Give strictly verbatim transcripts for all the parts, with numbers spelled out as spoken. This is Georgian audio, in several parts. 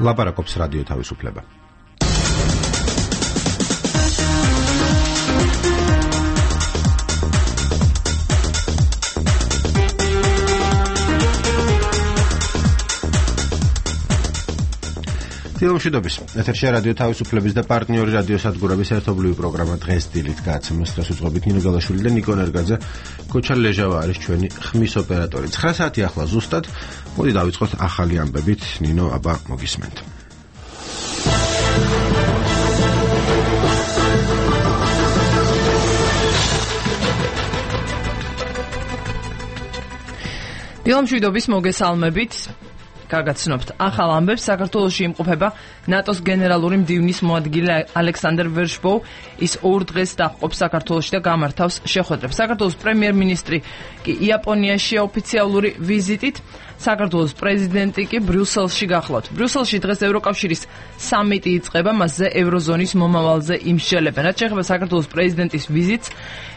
ლაპარაკობს რადიო თავისუფლება. თილმშვიდობის ეთერში რადიო თავისუფლების და პარტნიორი რადიო სადგურების ერთობლივი პროგრამა დღეს დილით გააცემეს დღეს უძღვებით ნინო გალაშვილი და ნიკო ნერგაძე. კოჩა ლეჟავა არის ჩვენი ხმის ოპერატორი. ცხრა საათი ახლა ზუსტად. მოდი დავიწყოთ ახალი ამბებით. ნინო, აბა მოგისმენთ. თილმშვიდობის მოგესალმებით. გაგაცნობთ ახალ ამბებს. საქართველოში იმყოფება ნატოს გენერალური მდივნის მოადგილე ალექსანდრ ვერშბოუ. ის ორ დღეს დაჰყოფს საქართველოში და გამართავს შეხვედრებს. საქართველოს პრემიერ-მინისტრი კი იაპონიაში ოფიციალური ვიზიტით, საქართველოს პრეზიდენტი კი ბრიუსელში გახლავთ. ბრიუსელში დღეს ევროკავშირის სამიტი იწყება, მასზე ევროზონის მომავალზე იმსჯელებენ. რაც შეეხება საქართველოს პრეზიდენტის ვიზიტს,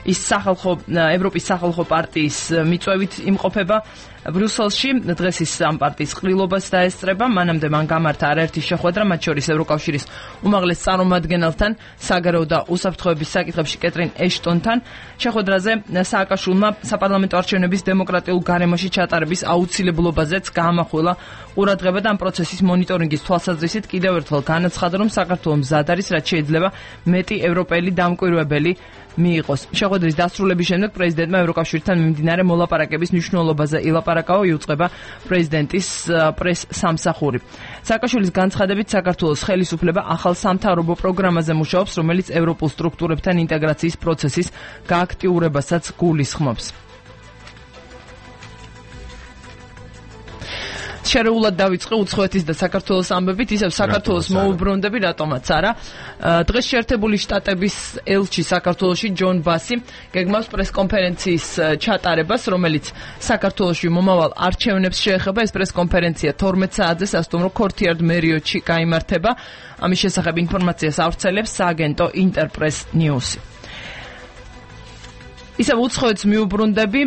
ის სახალხო ევროპის სახალხო პარტიის მიწვევით იმყოფება ბრიუსელში. დღეს ის ამ პარტიის ყრილობას დაესწრება. მანამდე მან გამართა არაერთი შეხვედრა, მათ შორის ევროკავშირის უმაღლეს წარმომადგენელთან, საგარეო და უსაფრთხოების საკითხებში კეტრინ ეშტონთან. შეხვედრაზე სააკაშვილმა საპარლამენტო არჩევნების დემოკრატიულ გარემოში ჩატარების აუცილებლობაზეც გაამახვილა ყურადღება და ამ პროცესის მონიტორინგის თვალსაზრისით კიდევ ერთხელ განაცხადა, რომ საქართველო მზად არის, რაც შეიძლება მეტი ევროპელი დამკვირვებელი მიიღოს. შეხვედრის დასრულების შემდეგ პრეზიდენტმა ევროკავშირთან მიმდინარე მოლაპარაკების მნიშვნელობაზე ილაპარაკაო, იუწყება პრეზიდენტის პრეს-სამსახური. სააკაშვილის განცხადებით, საქართველოს ხელისუფლება ახალ სამთავრობო პროგრამაზე მუშაობს, რომელიც ევროპულ სტრუქტურებთან ინტეგრაციის პროცესის გააქტიურებასაც გულისხმობს. შერეულად დავიწყე უცხოეთის და საქართველოს ამბებით, ისევ საქართველოს მოუბრუნდები, რატომაც არა. დღეს შეერთებული შტატების ელჩი საქართველოში ჯონ ბასი გეგმავს პრესკონფერენციის ჩატარებას, რომელიც საქართველოში მომავალ არჩევნებს შეეხება. ეს პრესკონფერენცია თორმეტ საათზე სასტუმრო ქორთიარდ მერიოტში გაიმართება. ამის შესახებ ინფორმაციას ავრცელებს სააგენტო ინტერპრეს ნიუსი. ისევ უცხოეთს მიუბრუნდები,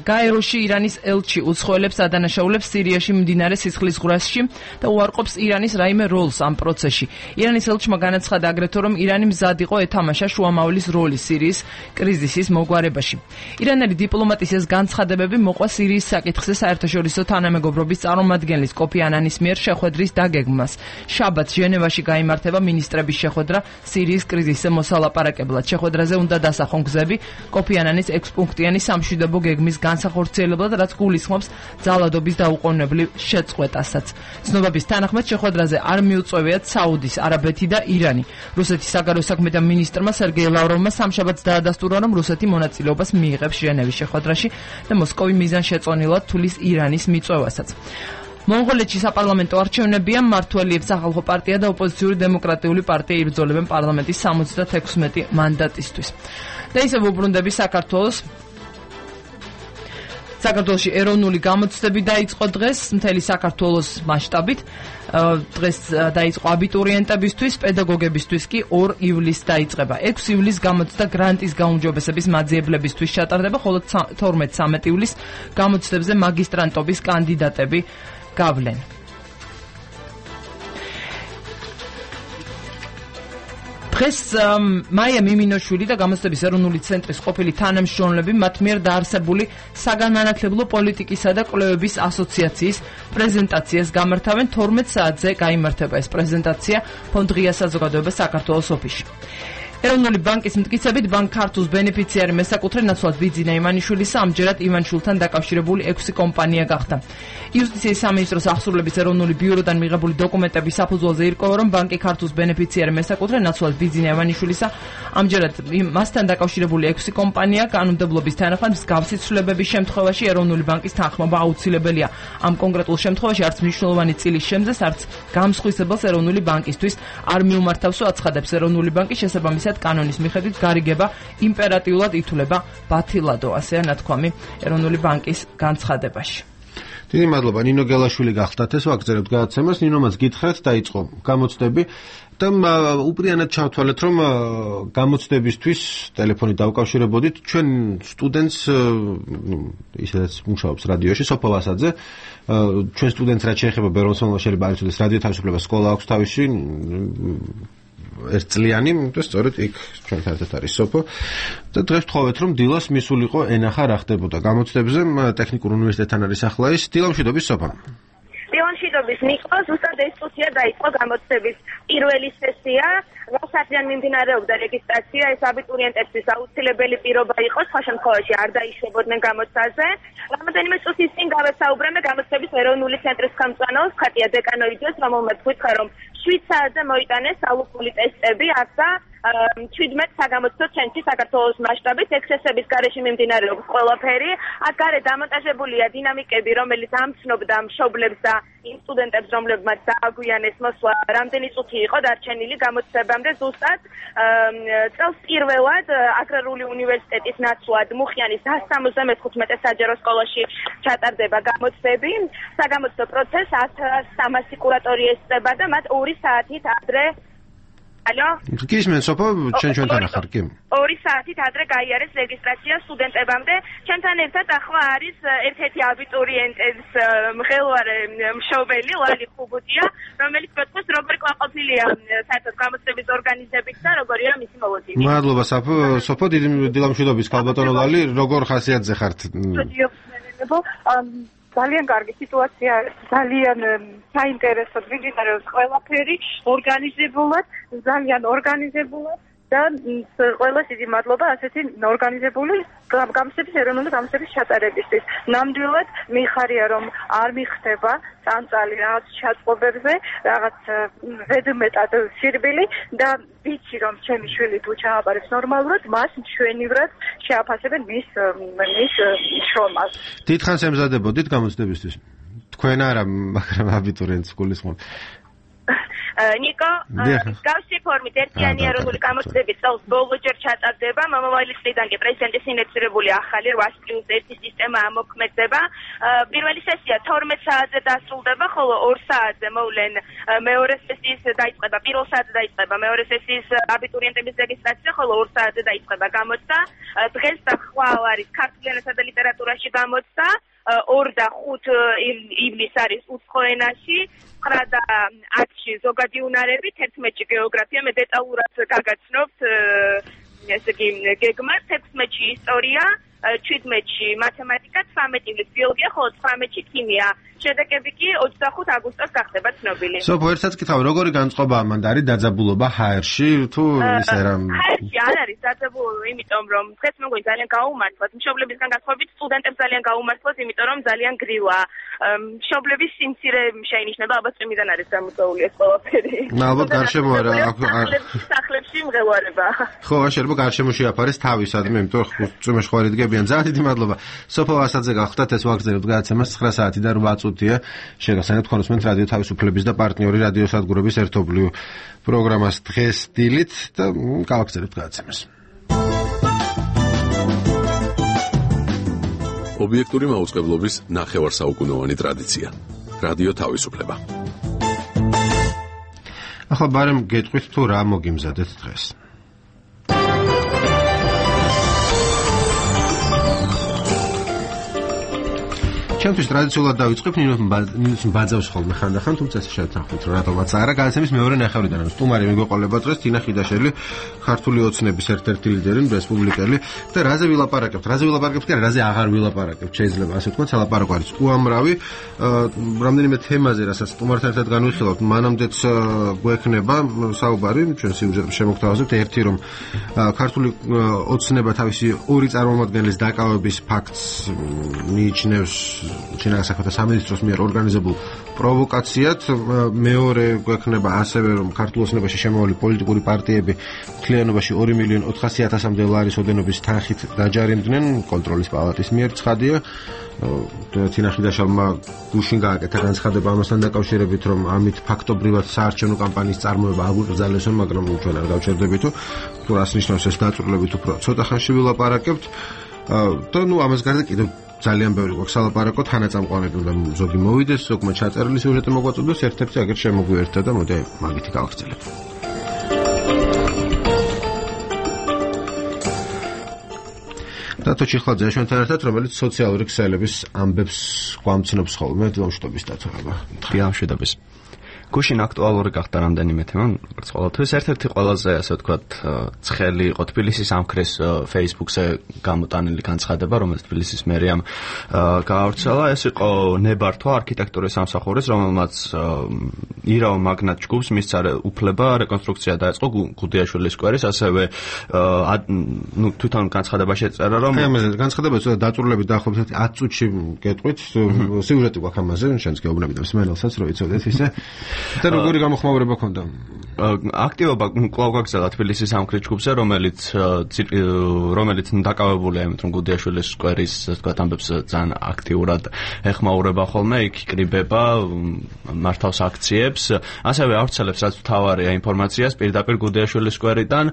გაეროში ირანის ელჩი უცხოელებს ადანაშაულებს სირიაში მიმდინარე სისხლის ზღვრაში და უარყოფს ირანის რაიმე როლს ამ პროცესში. ირანის ელჩმა განაცხადა აგრეთვე, რომ ირანი მზად იყო ეთამაშა შუამავლის როლი სირიის კრიზისის მოგვარებაში. ირანელი დიპლომატის ეს განცხადებები მოყვა სირიის საკითხზე საერთაშორისო თანამეგობრობის წარმომადგენლის კოფი ანანის მიერ შეხვედრის დაგეგმვას. შაბათს ჟენევაში გაიმართება მინისტრების შეხვედრა სირიის კრიზისზე მოსალაპარაკებლად. შეხვედრაზე უნდა დასახონ გზები კოფი ანანის ექვსპუნქტიანი სამშვიდობო გეგმის განსახორციელებლად, რაც გულისხმობს ძალადობის დაუყოვნებლივ შეწყვეტასაც. ცნობების თანახმად შეხვედრაზე არ მიუწვევიათ საუდის არაბეთი და ირანი. რუსეთის საგარეო საქმეთა მინისტრმა სერგეი ლავროვმა სამშაბათს დაადასტურა, რომ რუსეთი მონაწილეობას მიიღებს ჟენევის შეხვედრაში და მოსკოვი მიზანშეწონილად თulis ირანის მიწვევასაც. მონღოლეთში საპარლამენტო არჩევნებია, მმართველი სახალხო პარტია და ოპოზიციური დემოკრატიული პარტია იბრძოლებენ პარლამენტის სამოცდათექვსმეტი მანდატისთვის. და ისევ უბრუნდები საქართველოს. საქართველოში ეროვნული გამოცდები დაიწყო დღეს მთელი საქართველოს მასშტაბით. დღეს დაიწყო აბიტურიენტებისთვის, პედაგოგებისთვის კი ორ ივლისს დაიწყება. ექვსი ივლისს გამოცდა გრანტის გაუმჯობესების მაძიებლებისთვის ჩატარდება, ხოლო თორმეტ სამეტ ივლისს გამოცდებზე მაგისტრანტობის კანდიდატები გავლენ. დღეს მაია მიმინოშვილი და გამოცდების ეროვნული ცენტრის ყოფილი თანამშრომლები მათ მიერ დაარსებული საგანმანათლებლო პოლიტიკისა და კვლევების ასოციაციის პრეზენტაციას გამართავენ. თორმეტ საათზე გაიმართება ეს პრეზენტაცია ფონდ ღია საზოგადოება საქართველოს ოფისში. ეროვნული ბანკის მტკიცებით, ბანკ ქართულს ბენეფიციარი მესაკუთრე ნაცვლად ბიძინა ივანიშვილისა ამჯერად ივანიშვილთან დაკავშირებული ექვსი კომპანია გახდა. იუსტიციის სამინისტროს აღსრულების ეროვნული ბიუროდან მიღებული დოკუმენტების საფუძველზე ირკვევა, რომ ბანკი ქართულს ბენეფიციარი მესაკუთრე ნაცვლად ბიძინა ივანიშვილისა ამჯერად მასთან დაკავშირებული ექვსი კომპანია. კანონმდებლობის თანახმად მსგავსი ცვლილებების შემთხვევაში ეროვნული ბანკის თანხმობა აუცილებელია. ამ კონკრეტულ შემთხვევაში არც მნიშვნელოვანი წილის შემძეს, არც გამსხვილებელს ეროვნული ბანკისთვის არ მიუმართავსო, აცხადებს ეროვნული ბანკი. შესაბამისად კანონის მიხედვით გარიგება იმპერატიულად ითვლება ბათილადო, ასეა ნათქვამი ეროვნული ბანკის განცხადებაში. დიდი მადლობა ნინო გელაშვილი გახდათ ეს ვაგრძელებთ გადაცემას ნინომაც გითხრათ დაიწყო გამოცდები და უპრიანად ჩავთვალეთ რომ გამოცდებისთვის ტელეფონით დავკავშირებოდით ჩვენ სტუდენტს ისედაც მუშაობს რადიოში სოფო ვასაძე ჩვენ სტუდენტს რაც შეეხება ბერონსონმა შეიძლება არ იცოდეს რადიო თავისუფლებას სკოლა აქვს თავისი ერთწლიანი და სწორედ იქ ჩვენთან ერთად არის სოფო და დღეს ვთხოვეთ რომ დილას მისულიყო ენახა რა ხდებოდა გამოცდებზე ტექნიკურ უნივერსიტეტთან არის ახლა ის დილამშვიდობის სოფო დილამშვიდობის ნიკო ზუსტად ეს წუთია დაიწყო გამოცდების პირველი სესია როდესაც მიმდინარეობდა რეგისტრაცია ეს აბიტურიენტებისთვის აუცილებელი პირობა იყო სხვა შემთხვევაში არ დაიშვებოდნენ გამოცდაზე რამოდენიმე წუთის წინ გავესაუბრαμε გამოცდების ეროვნული ცენტრის ხელმძღვანელს ხატია დეკანოიძეს რომელმაც გითხრა რომ შვიდ საათზე მოიტანეს ალუპული ტესტები ახლა ჩვიდმეტ საგამოცდო ცენტრში საქართველოს მასშტაბით ექსესების გარეშე მიმდინარეობს ყველაფერი აქ გარეთ დამონტაჟებულია დინამიკები რომელიც ამცნობდა მშობლებს და იმ სტუდენტებს რომლებმაც დააგვიანეს მოსვლა რამდენი წუთი იყო დარჩენილი გამოცდებამდე ზუსტად წელს პირველად აგრარული უნივერსიტეტის ნაცვლად მუხიანის სამოცდა მეხუთმეტე საჯარო სკოლაში ჩატარდება გამოცდები საგამოცდო პროცესს სამასი კურატორი ესწრება და მათ ორი საათით ადრე ალო გისმენთ სოფო ჩვენ ჩვენთან ახარ კი ორი საათით ადრე გაიარეს რეგისტრაცია სტუდენტებამდე ჩვენთან ერთად ახლა არის ერთ-ერთი აბიტურიენტების მღელვარე მშობელი ლალი ხუბუტია რომელიც გვეთქვეს როგორ ყვაყოფილია საერთოდ გამოცდების ორგანიზებით და როგორია მისი მოლოდინი მადლობა სოფო სოფო დიდი დილამშვიდობის ქალბატონო ლალი როგორ ხასიათზე ხართ ძალიან კარგი სიტუაცია, ძალიან საინტერესოდ მიმდინარეობს ყველაფერი, ორგანიზებულად, ძალიან ორგანიზებულად და ყველას დიდი მადლობა ასეთი ორგანიზებული გამოცდების ეროვნული გამოცდების ჩატარებისთვის. ნამდვილად მიხარია რომ არ მიხდება წამწალი რაღაც ჩაწყობებზე, რაღაც ზედმეტად სირბილი და ვიცი რომ ჩემი შვილი თუ ჩააბარებს ნორმალურად, მას მშვენივრად შეაფასებენ მის მის შრომას. დიდხანს ემზადებოდით გამოცდებისთვის? თქვენ არა, მაგრამ აბიტურიენტს გულისხმობ. ნიკო, გავსი ფორმით ერთიანი ეროვნული გამოცდები წელს ბოლოჯერ ჩატარდება, მომავალი წლიდან კი პრეზიდენტის ინიციირებული ახალი რვა პლუს ერთი სისტემა ამოქმედდება. პირველი სესია თორმეტ საათზე დასრულდება, ხოლო ორ საათზე მოვლენ მეორე სესიის დაიწყება, პირველ საათზე დაიწყება მეორე სესიის აბიტურიენტების რეგისტრაცია, ხოლო ორ საათზე დაიწყება გამოცდა. დღეს და ხვალ არის ქართულ ენასა და ლიტერატურაში გამოცდა. ორ და ხუთ ივლისს არის უცხო ენაში, ცხრა და ათში ზოგადი უნარები, თერთმეტში გეოგრაფია, მე დეტალურად გაგაცნობთ ესე იგი გეგმას, ექვსმეტში ისტორია, შვიდმეტში მათემატიკა, ცხრამეტ ივლისს ბიოლოგია, ხოლო ცხრამეტში ქიმია. შედეგები კი ოცდახუთ აგვისტოს გახდება ცნობილი. სოფო ერთსაც კითხავ, როგორი განწყობა ამან არის დაძაბულობა ჰაერში თუ ისე რა? ჰაერში არ არის დაძაბულობა, იმიტომ რომ დღეს მეგონი ძალიან გაუმართლად, მშობლებისგან განსხვავებით სტუდენტებს ძალიან გაუმართლად, იმიტომ რომ ძალიან გრილა. მშობლების სიმცირე შეინიშნება, ალბათ წვიმიდან არის გამოწვეული ეს ყველაფერი. ალბათ გარშემო არა, სახლებში მღელვარება. ხო, შეიძლება გარშემო შეაფარეს თავისადმე, იმიტომ რომ წვიმეში ხوارი დგებიან. ძალიან დიდი მადლობა. სოფო ვასაძე გახდათ ეს ვაგრძელებთ გადაცემას ცხრა საათი და რვა წუთია. შეგახსენებთ კონსუმენტ რადიო თავისუფლების და პარტნიორი რადიო სადგურების ერთობლივ პროგრამას დღეს დილით და გავაგრძელებთ გადაცემას. ობიექტური მაუწყებლობის ნახევარსაუკუნოვანი ტრადიცია. რადიო თავისუფლება. ახლა ბარემ გეტყვით თუ რა მოგიმზადეთ დღეს. ჩემთვის ტრადიციულად დავიწყებ ნინოს ბაძავს ხოლმე ხანდახან, თუმცა ეს შევთანხმდით რომ რატომაც არა. გადაცემის მეორე ნახევრიდან სტუმარი მიგვეყოლება დღეს თინა ხიდაშელი, ქართული ოცნების ერთ-ერთი ლიდერი, რესპუბლიკელი და რაზე ვილაპარაკებთ? რაზე ვილაპარაკებთ კი არა, რაზე აღარ ვილაპარაკებთ, შეიძლება ასე ვთქვათ, სალაპარაკო არის უამრავი. რამდენიმე თემაზე, რასაც სტუმართან ერთად განვიხილავთ, მანამდეც გვექნება საუბარი, ჩვენ სიუჟეტს შემოგთავაზებთ. ერთი რომ ქართული ოცნება თავისი ორი წარმომადგენლის დაკავების ფაქტს მიიჩნევს ჩინეთის საქმეთა სამინისტროს მიერ ორგანიზებულ პროვოკაციად. მეორე გვექნება ასევე რომ ქართულ ოცნებაში შემავალი პოლიტიკური პარტიები მთლიანობაში ორი მილიონი ოთხასი ათასამდე ლარის ოდენობის თანხით დაჯარიმდნენ კონტროლის პალატის მიერ. ცხადია თინა ხიდაშალმა გუშინ გააკეთა განცხადება ამასთან დაკავშირებით, რომ ამით ფაქტობრივად საარჩევნო კამპანიის წარმოება აგვიკრძალესო, მაგრამ ჩვენ არ გავჩერდებითო თუ რას ნიშნავს ეს დაწვრილებით უფრო ცოტა ხანში ვილაპარაკებთ. და ნუ ამას გარდა კიდევ ძალიან ბევრი გვაქვს სალაპარაკო, თანაწამყვანები უნდა ზოგი მოვიდეს, ზოგმა ჩაწერილი სიუჟეტი მოგვაწოდოს, ერთ-ერთი აგერ შემოგვიერთდა და მოდი მაგითი გავაგრძელებ. დათო ჩიხლაძე ჩვენთან ერთად, რომელიც სოციალური ქსელების ამბებს გვამცნობს ხოლმე, დამშვიდობის დათო. დამშვიდობის. გუშინ აქტუალური გახდა რამდენიმე თემა, როგორც ყოველთვის. ერთ-ერთი ყველაზე, ასე ვთქვათ, ცხელი იყო თბილისის ამქრის Facebook-ზე გამოტანილი განცხადება, რომელიც თბილისის მერიამ გაავრცელა. ეს იყო ნებართვა არქიტექტურის სამსახურის, რომელმაც ირაო მაგნატ ჯგუფს მისცა უფლება რეკონსტრუქცია დაეწყო გუდიაშვილის სკვერის, ასევე ნუ თვითონ განცხადებაში ეწერა, რომ განცხადება ცოტა დაწურლებით დაახლოებით ათ წუთში გეტყვით, სიუჟეტი გვაქვს ამაზე, შენც გეუბნები და მსმენელსაც რომ იცოდეთ ისე. და როგორი გამოხმაურება ქონდა? აქტივობა კვლავ გაგრძელა თბილისის ამქრის ჯგუფზე, რომელიც რომელიც დაკავებულია იმით, რომ გუდიაშვილის სკვერის, ასე ვთქვათ, ამბებს ძალიან აქტიურად ეხმაურება ხოლმე, იქ იკრიბება, მართავს აქციებს, ასევე ავრცელებს რაც მთავარია ინფორმაციას პირდაპირ გუდიაშვილის სკვერიდან.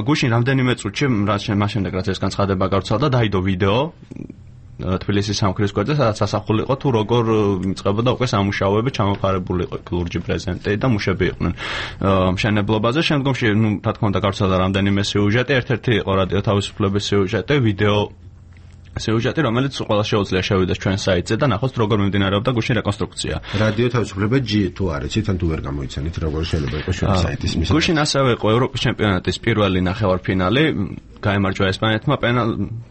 გუშინ რამდენიმე წუთში, მას შემდეგ რაც ეს განცხადება გავრცელდა, დაიდო ვიდეო თბილისის სამქრის სკვერზე, სადაც ასახული იყო თუ როგორ იწყებოდა უკვე სამუშაოები, ჩამოყარებული იყო ლურჯი პრეზენტი და მუშები იყვნენ მშენებლობაზე. შემდგომში, ნუ რა თქმა უნდა, გავრცელდა რამდენიმე სიუჟეტი, ერთ-ერთი იყო რადიო თავისუფლების სიუჟეტი, ვიდეო სიუჟეტი, რომელიც ყველა შეუძლია შევიდეს ჩვენ საიტზე და ნახოს როგორ მიმდინარეობდა გუშინ რეკონსტრუქცია. რადიო თავისუფლება G თუ არის, თან თუ ვერ გამოიცანით, როგორ შეიძლება იყოს ჩვენ საიტის მისია. გუშინ ასევე იყო ევროპის ჩემპიონატის პირველი ნახევარფინალი, გაიმარჯვა ესპანეთმა პენალ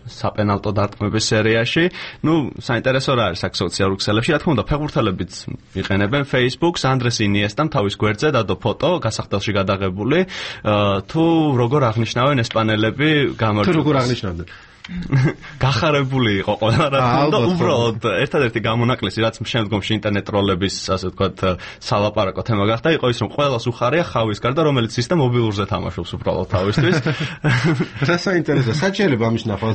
საპენალტო დარტყმების სერიაში. ნუ საინტერესო რა არის აქ სოციალურ ქსელებში, რა თქმა უნდა, ფეხბურთელებიც იყენებენ Facebook-ს, ანდრეს ინიესტამ თავის გვერდზე დადო ფოტო, გასახდელში გადაღებული, თუ როგორ აღნიშნავენ ესპანელები გამარჯვებას. თუ როგორ აღნიშნავდნენ? გახარებული იყო ყველა რა თქმა უნდა, უბრალოდ ერთადერთი გამონაკლისი, რაც შემდგომში ინტერნეტ ტროლების, ასე ვთქვათ, სალაპარაკო თემა გახდა, იყო ის, რომ ყველას უხარია ხავის გარდა, რომელიც ის და მობილურზე თამაშობს უბრალოდ თავისთვის. რა საინტერესო, საჭიროება ამის ნახვა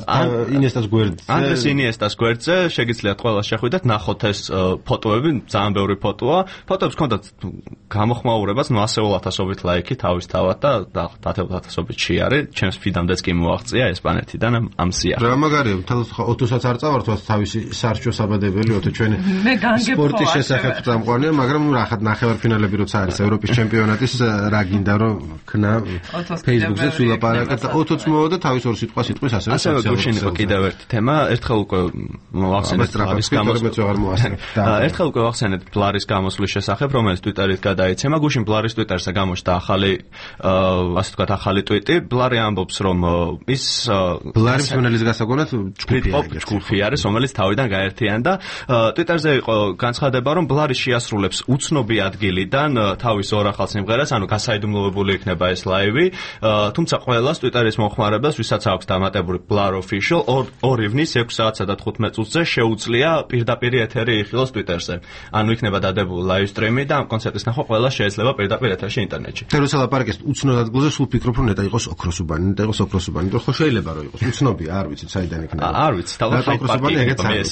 ინიესტას გვერდზე. ანდრეს ინიესტას გვერდზე შეგიძლიათ ყველას შეხვიდეთ, ნახოთ ეს ფოტოები, ძალიან ბევრი ფოტოა. ფოტოებს ჰქონდათ გამოხმაურებას, ნუ ასეულ ათასობით ლაიქი თავისთავად და ათეულ ათასობით შეარე, ჩემს ფიდამდეც კი მოაღწია ესპანეთიდან ამ რა მაგარია, ოთოსაც არ წავართვათ თავისი სარჩო საბადებელი, ოთო ჩვენი სპორტის შესახებ წამყვანია, მაგრამ ნუ რახად ნახევარფინალები როცა არის ევროპის ჩემპიონატის, რა გინდა რომ ქნა Facebook-ზე ვილაპარაკეთ და ოთოც მოვიდა თავის ორ სიტყვას სიტყვის ასევე ასევე გუშინ იყო კიდევ ერთი თემა, ერთხელ უკვე მოახსენეთ ბლარის გამოსვლის ერთხელ უკვე ვახსენეთ ბლარის გამოსვლის შესახებ, რომელიც Twitter-ით გადაიცემა. გუშინ ბლარის Twitter-ზე გამოჩნდა ახალი, ასე ვთქვათ, ახალი ტვიტი. ბლარი ამბობს, რომ ის ბლარის მენელის გასაგონად ჯგუფი არის, რომელიც თავიდან გაერთიანდა. Twitter-ზე იყო განცხადება, რომ ბლარი შეასრულებს უცნობი ადგილიდან თავის ორ ახალ სიმღერას, ანუ გასაიდუმლოებული იქნება ეს ლაივი. თუმცა ყველას Twitter-ის მომხმარებელს, ვისაც აქვს დამატებული Blur Official, ორ ივნის ექვსი საათსა და თხუთმეტ წუთზე შეუძლია პირდაპირ ეთერი იხილოს Twitter-ზე. ანუ იქნება დადებული ლაივ სტრიმი და ამ კონცერტის ნახვა ყველას შეიძლება პირდაპირ ეთერში ინტერნეტში. და როცა ლაპარაკეს უცნობ ადგილზე, სულ ფიქრობ, რომ ნეტა იყოს ოქროსუბანი, ნეტა იყოს ოქროსუბანი, იმიტომ რომ შეიძლება რომ იყოს უცნობი, არ ვიცი, საიდან იქნება. არ ვიცი, თავად ოქროსუბანი ეგეც არის.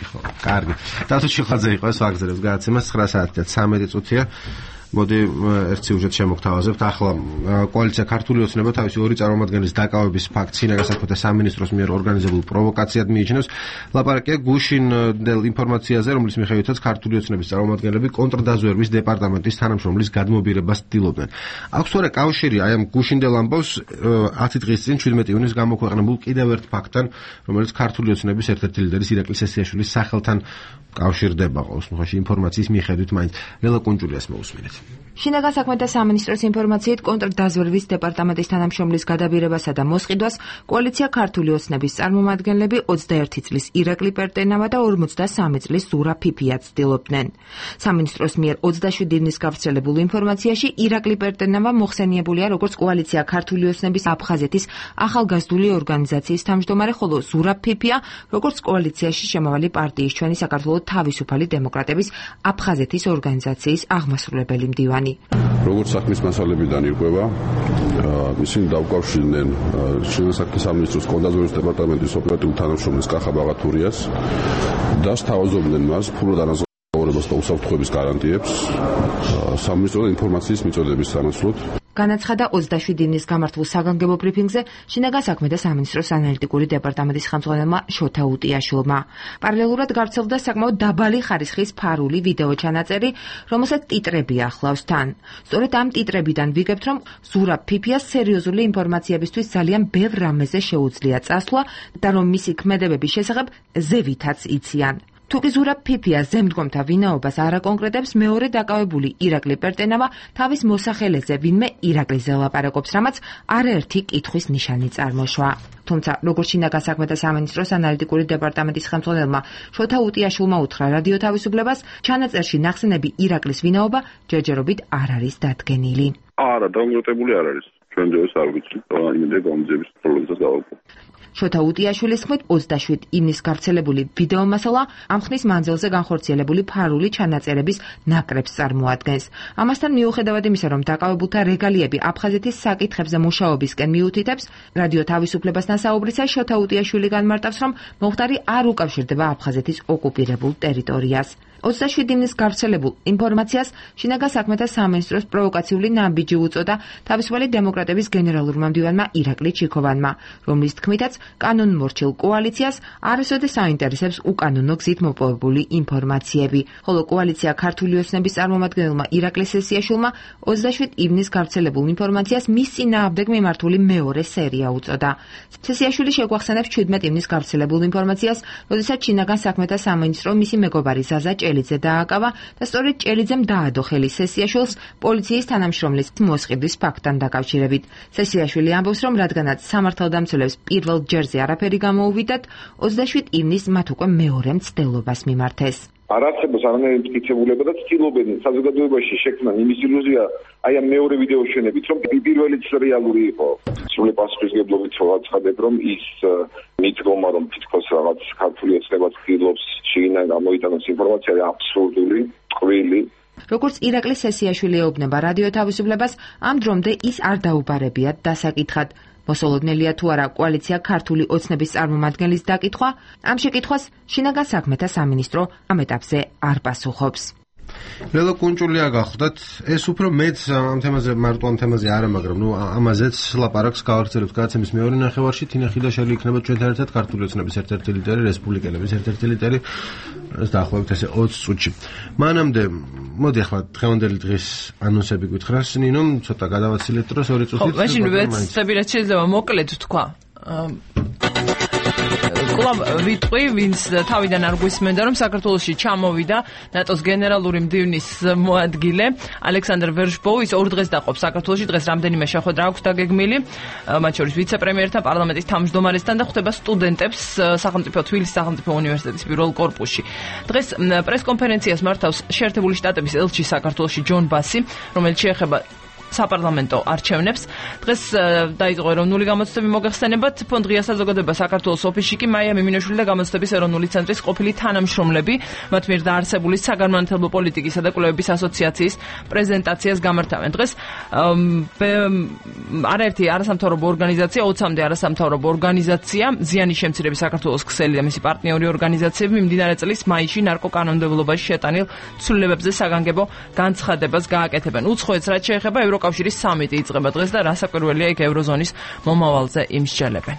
ხო, კარგი. დათო ჩიხლაძე იყო ეს ვაგზელებს გადაცემა ცხრა საათი და ცამეტი წუთია. მოდი ერთ სიუჟეტს შემოგთავაზებთ. ახლა კოალიცია ქართული ოცნება თავისი ორი წარმომადგენლის დაკავების ფაქტს სინაგას საქმეთა სამინისტროს მიერ ორგანიზებულ პროვოკაციად მიიჩნევს. ლაპარაკია გუშინდელ ინფორმაციაზე, რომლის მიხედვითაც ქართული ოცნების წარმომადგენლები კონტრდაზვერვის დეპარტამენტის თანამშრომლის გადმობირებას ცდილობდნენ. აქვს თორე კავშირი აი ამ გუშინდელ ამბავს ათი დღის წინ შვიდმეტი ივნისს გამოქვეყნებულ კიდევ ერთ ფაქტთან, რომელიც ქართული ოცნების ერთ-ერთი ლიდერის ირაკლი სესიაშვილის სახელთან კავშირდება ყოველ შემთხვევაში ინფორმაციის მიხედვით მაინც. ლელა კუნჭულიას მოусმინეთ. შინაგან საქმეთა სამინისტროს ინფორმაციით კონტრდაზვერვის დეპარტამენტის თანამშრომლის გადაბირებასა და მოსყიდვას კოალიცია ქართული ოცნების წარმომადგენლები ოცდაერთი წლის ირაკლი პერტენავა და ორმოცდასამი წლის ზურაბ ფიფია ცდილობდნენ. სამინისტროს მიერ ოცდაშვიდი ივნის გავრცელებულ ინფორმაციაში ირაკლი პერტენავა მოხსენიებულია როგორც კოალიცია ქართული ოცნების აფხაზეთის ახალგაზრდული ორგანიზაციის თავმჯდომარე, ხოლო ზურაბ ფიფია როგორც კოალიციაში შემავალი პარტიის ჩვენი საქართველოს თავისუფალი დემოკრატების აფხაზეთის ორგანიზაციის აღმასრულებელი მდივანი. როგორც საქმის მასალებიდან ირკვევა, ისინი დაუკავშირდნენ შინაგან საქმეთა სამინისტროს კონტრდაზვერვის დეპარტამენტის ოპერატიულ თანამშრომლის კახა ბაღათურიას და სთავაზობდნენ მას ფულად ანაზღაურებას და უსაფრთხოების გარანტიებს სამინისტროს ინფორმაციის მიწოდების სანაცვლოდ. განაცხადა ოცდაშვიდი ივნის გამართულ საგანგებო ბრიფინგზე შინაგან საქმეთა სამინისტროს ანალიტიკური დეპარტამენტის ხელმძღვანელმა შოთა უტიაშვილმა. პარალელურად გავრცელდა საკმაოდ დაბალი ხარისხის ფარული ვიდეო ჩანაწერი, რომელსაც ტიტრები ახლავს თან. სწორედ ამ ტიტრებიდან ვიგებთ, რომ ზურაბ ფიფიას სერიოზული ინფორმაციებისთვის ძალიან ბევრ რამეზე შეუძლია წასვლა და რომ მისი ქმედებების შესახებ ზევითაც იციან. თუკი ზურაბ ფიფია ზემდგომთა ვინაობას არ აკონკრეტებს, მეორე დაკავებული ირაკლი პერტენავა თავის მოსახელეზე ვინმე ირაკლიზე ლაპარაკობს, რამაც არაერთი კითხვის ნიშანი წარმოშვა. თუმცა, როგორც შინაგან საქმეთა სამინისტროს ანალიტიკური დეპარტამენტის ხელმძღვანელმა შოთა უტიაშვილმა უთხრა რადიო თავისუფლებას, ჩანაწერში ნახსენები ირაკლის ვინაობა ჯერჯერობით არ არის დადგენილი. არა, დამოკიდებული არ არის. ჩვენ ძეს არ ვიცით, იმედია გამძების პრობლემას დავაკვირდით. შოთა უტიაშვილის თქმით, ოცდაშვიდი ივნის გავრცელებული ვიდეო მასალა ამ ხნის მანძილზე განხორციელებული ფარული ჩანაწერების ნაკრებს წარმოადგენს. ამასთან მიუხედავად იმისა, რომ დაკავებულთა რეგალიები აფხაზეთის საკითხებზე მუშაობისკენ მიუთითებს, რადიო თავისუფლებასთან საუბრისას შოთა უტიაშვილი განმარტავს, რომ მომხდარი არ უკავშირდება აფხაზეთის ოკუპირებულ ტერიტორიას. ოცდაშვიდი ივნის გავრცელებულ ინფორმაციას შინაგან საქმეთა სამინისტროს პროვოკაციული ნაბიჯი უწოდა თავისუფალი დემოკრატების გენერალურმა მდივანმა ირაკლი ჩიქოვანმა, რომლის თქმითაც კანონმორჩილ კოალიციას არასოდეს აინტერესებს უკანონო გზით მოპოვებული ინფორმაციები, ხოლო კოალიცია ქართული ოცნების წარმომადგენელმა ირაკლი სესიაშვილმა ოცდაშვიდი ივნის გავრცელებულ ინფორმაციას მის წინააღმდეგ მიმართული მეორე სერია უწოდა. სესიაშვილი შეგვახსენებს ჩვიდმეტ ივნის გავრცელებულ ინფორმაციას, როდესაც შინაგან საქმეთა სამინისტრო მისი მეგობარი ზაზა ჭელიძე დააკავა და სწორედ ჭელიძემ დაადო ხელი სესიაშვილს პოლიციის თანამშრომლის მოსყიდვის ფაქტთან დაკავშირებით. სესიაშვილი ამბობს, რომ რადგანაც სამართალდამცველებს პირველ ჯერზე არაფერი გამოუვიდათ, ოცდაშვიდი ივნის მათ უკვე მეორე მცდელობას მიმართეს. არ არსებობს არანაირი მტკიცებულება და ცდილობენ საზოგადოებაში შექმნან იმის ილუზია, აი ამ მეორე ვიდეოს შენებით, რომ პირველიც რეალური იყო. სრული პასუხისმგებლობით ვაცხადებ, რომ ის მიდგომა, რომ თითქოს რაღაც ქართული ოცნება ცდილობს შიგნიდან გამოიტანოს ინფორმაცია, აბსურდული, ტყვილი. როგორც ირაკლი სესიაშვილი ეუბნება რადიო თავისუფლებას, ამ დრომდე ის არ დაუბარებიათ დასაკითხად. მოსალოდნელია თუ არა კოალიცია ქართული ოცნების წარმომადგენლის დაკითხვა, ამ შეკითხვას შინაგან საქმეთა სამინისტრო ამ ეტაპზე არ პასუხობს. ლელო კუნჭულია გახლდათ, ეს უფრო მეც ამ თემაზე მარტო ამ თემაზე არა, მაგრამ ნუ ამაზეც ლაპარაკს გავაგრძელებთ გადაცემის მეორე ნახევარში. თინა ხიდაშელი იქნება ჩვენთან ერთად ქართული ოცნების ერთ-ერთი ლიდერი, რესპუბლიკელების ერთ-ერთი ლიდერი. ეს დაახლოებით ესე ოცი წუთში. მანამდე მოდი ახლა დღევანდელი დღის ანონსები გითხრას, ნინომ ცოტა გადავაცილეთ დროს ორი წუთით. ხო, მაშინ ვეცდები რა შეიძლება მოკლედ თქვა. კლუბ ვიტყვი, ვინც თავიდან არ გვისმენდა, რომ საქართველოში ჩამოვიდა ნატოს გენერალური მდივნის მოადგილე ალექსანდრ ვერშბოუ, ის ორ დღეს დაყოფს საქართველოში, დღეს რამდენიმე შეხვედრა აქვს დაგეგმილი, მათ შორის ვიცე-პრემიერთან, პარლამენტის თავმჯდომარესთან და ხვდება სტუდენტებს სახელმწიფო თბილისის სახელმწიფო უნივერსიტეტის პირველ კორპუსში. დღეს პრესკონფერენციას მართავს შეერთებული შტატების ელჩი საქართველოში ჯონ ბასი, რომელიც შეეხება საპარლამენტო არჩევნებს. დღეს დაიწყო ეროვნული გამოცდები მოგეხსენებათ. ფონდ ღია საზოგადოება საქართველოს ოფისში კი მაია მიმინოშვილი და გამოცდების ეროვნული ცენტრის ყოფილი თანამშრომლები მათ მიერ დაარსებული საგანმანათლებლო პოლიტიკისა და კვლევების ასოციაციის პრეზენტაციას გამართავენ. დღეს არაერთი არასამთავრობო ორგანიზაცია, ოცამდე არასამთავრობო ორგანიზაცია, ზიანის შემცირების საქართველოს ქსელი და მისი პარტნიორი ორგანიზაციები მიმდინარე წლის მაისში ნარკოკანონმდებლობაში შეტანილ ცვლილებებზე საგანგებო განცხადებას გააკეთებენ. უცხოეთს რაც შეეხება ევროკავშირის სამიტი იწყება დღეს და რასაკვირველია იქ ევროზონის მომავალზე იმსჯელებენ.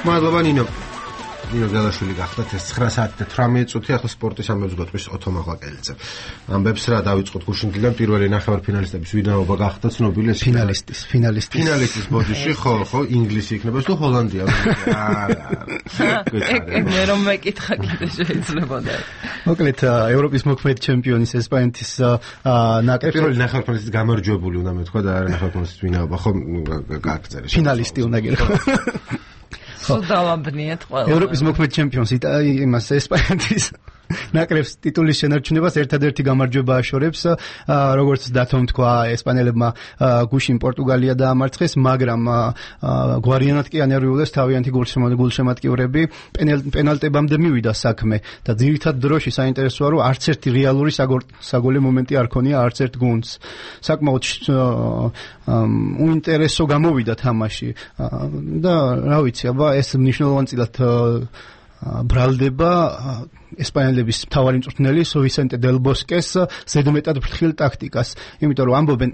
მადლობა ნინო. ნინო გელაშვილი გახდათ ეს ცხრა საათი და თვრამეტი წუთი ახლა სპორტის ამბებს გვეტყვის ოთო მაღლაკელიძე. ამბებს რა დავიწყოთ გუშინდლიდან პირველი ნახევარფინალისტების ვინაობა გახდა ცნობილი ეს ფინალისტის, ფინალისტის. ფინალისტის ბოდიში ხო, ხო, ინგლისი იქნება თუ ჰოლანდია. არა. მე რომ მეკითხა კიდე შეიძლება და. მოკლედ ევროპის მოქმედი ჩემპიონის ესპანეთის ნაკრები პირველი ნახევარფინალისტის გამარჯვებული უნდა მეთქვა და არა ნახევარფინალისტის ვინაობა ხო გააგრძელე. ფინალისტი უნდა გირხო. სუდავაბნიეთ ყველა. ევროპის მოქმედ ჩემპიონს იმას ესპანეთის ნაკრებს ტიტულის შენარჩუნებას ერთადერთი გამარჯვება აშორებს, როგორც დათომ თქვა ესპანელებმა გუშინ პორტუგალია დაამარცხეს, მაგრამ გვარიანად კი ანერვიულეს თავიანთი გულშემატკივრები, პენალტებამდე მივიდა საქმე და ძირითად დროში საინტერესოა, რომ არც ერთი რეალური საგოლე მომენტი არ ქონია არც ერთ გუნდს. საკმაოდ უინტერესო გამოვიდა თამაში და რა ვიცი, აბა ეს მნიშვნელოვანწილად ბრალდება ესპანელების მთავარი მწვრთნელი ვისენტე დელ ბოსკეს ზედმეტად ფრთხილ ტაქტიკას. იმიტომ რომ ამბობენ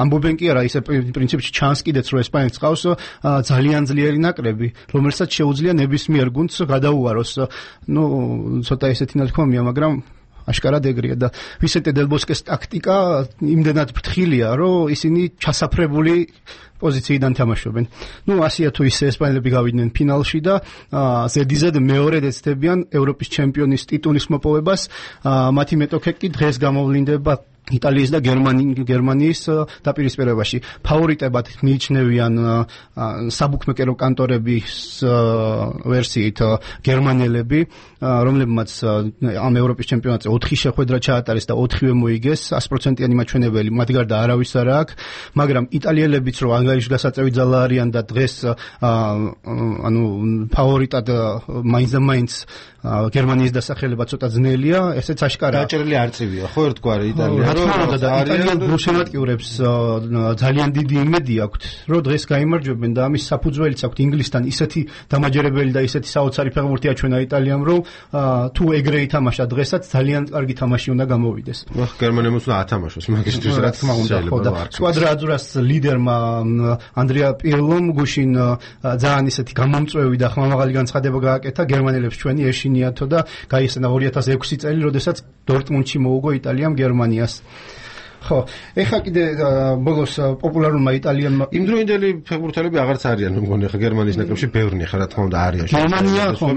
ამბობენ კი არა, ისე პრინციპში ჩანს კიდეც რომ ესპანეთს ყავს ძალიან ძლიერი ნაკრები, რომელსაც შეუძლია ნებისმიერ გუნდს გადაუაროს. ნუ ცოტა ესეთი ნათქვამია, მაგრამ აშკარად ეგრეა და ვისენტე დელ ბოსკეს ტაქტიკა იმდენად ფრთხილია, რომ ისინი ჩასაფრებული პოზიციიდან თამაშობენ. ნუ ასია თუ ისე ესპანელები გავიდნენ ფინალში და ზედიზედ მეორედ ეცდებიან ევროპის ჩემპიონის ტიტულის მოპოვებას. მათი მეტოქე კი დღეს გამოვლინდება იტალიის და გერმანიის დაპირისპირებაში. ფავორიტებად მიიჩნევიან საბუქმეკერო კანტორების ვერსიით გერმანელები, რომლებმაც ამ ევროპის ჩემპიონატზე ოთხი შეხვედრა ჩაატარეს და ოთხივე მოიგეს, sto პროცენტიანი მაჩვენებელი მათ გარდა არავის არ აქვს, მაგრამ იტალიელებიც რომ ანგარიშ გასაწევი ძალა არიან და დღეს ანუ ფავორიტად მაინც და მაინც გერმანიის დასახელება ცოტა ძნელია, ესეც აშკარაა. დაჭერილი არწივია, ხო ერთგვარი იტალია და იტალიელ გულშემატკივრებს ძალიან დიდი იმედი აქვთ, რომ დღეს გაიმარჯვებენ და ამის საფუძველიც აქვთ ინგლისთან ისეთი დამაჯერებელი და ისეთი საოცარი ფეხბურთი აჩვენა იტალიამ, რომ თუ ეგრე ითამაშა დღესაც ძალიან კარგი თამაში უნდა გამოვიდეს. ნახ გერმანიამ უნდა ათამაშოს მაგისთვის რა თქმა უნდა, ხო და სკვადრაძურას ლიდერმა ანდრია პირლომ გუშინ ძალიან ისეთი გამომწვევი და ხმამაღალი განცხადება გააკეთა გერმანელებს ჩვენი ეშინიათო და გაიხსნა ორი ათას ექვსი წელი, როდესაც დორტმუნდში მოუგო იტალიამ გერმანიას. ხო, ეხლა კიდე ბოლოს პოპულარულმა იტალიელმა იმდროინდელი ფეხბურთელები აღარც არიან, მგონი ხა გერმანიის ნაკრებში ბევრნი ხა რა თქმა უნდა არიან. გერმანია ხო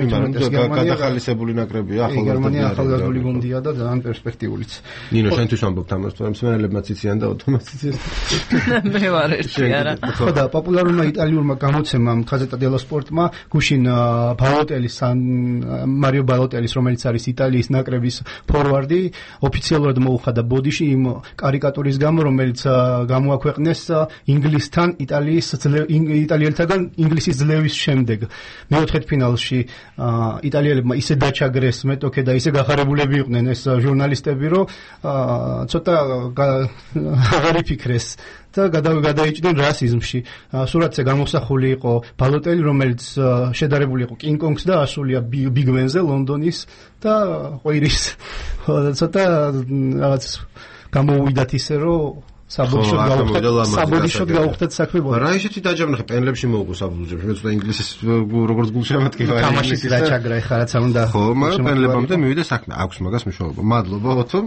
გადახალისებული ნაკრებია, ახალგაზრდა. გერმანია ახალგაზრდული გუნდია და ძალიან პერსპექტიულიც. ნინო შენთვის ამბობთ ამას, თორემ მსმენელებმაც იციან და ათომაც იციან. მე ვარ ერთი არა. ხო და პოპულარულმა იტალიურმა გამოცემამ გაზეტა დელო სპორტმა გუშინ ბალოტელის მარიო ბალოტელის, რომელიც არის იტალიის ნაკრების ფორვარდი, ოფიციალურად მოუხადა ბოდიში იმ კარიკატურის გამო, რომელიც გამოაქვეყნეს ინგლისთან იტალიის იტალიელთაგან ინგლისის ძლევის შემდეგ. მეოთხედფინალში იტალიელებმა ისე დაჩაგრეს მეტოქე და ისე გახარებულები იყვნენ ეს ჟურნალისტები, რომ ცოტა აღარ იფიქრეს და გადაიჭდნენ რასიზმში. სურათზე გამოსახული იყო ბალოტელი, რომელიც შედარებული იყო კინგ-კონგს და ასულია ბიგ-ბენზე ლონდონის და ყვირის. ცოტა რაღაც გამოუვიდათ ისე, რომ საბოდიშოდ გაუხდათ საქმე. რა ისეთი დაჯამნა ხა პენლებში მოუგო საბუდოებში. მე ცოტა ინგლისის როგორც გულშემატკივარი თამაშის დაჩაგრა ეხლა რაც არ უნდა. ხო, მაგრამ პენლებამდე მივიდა საქმე. აქვს მაგას მნიშვნელობა. მადლობა ოთო,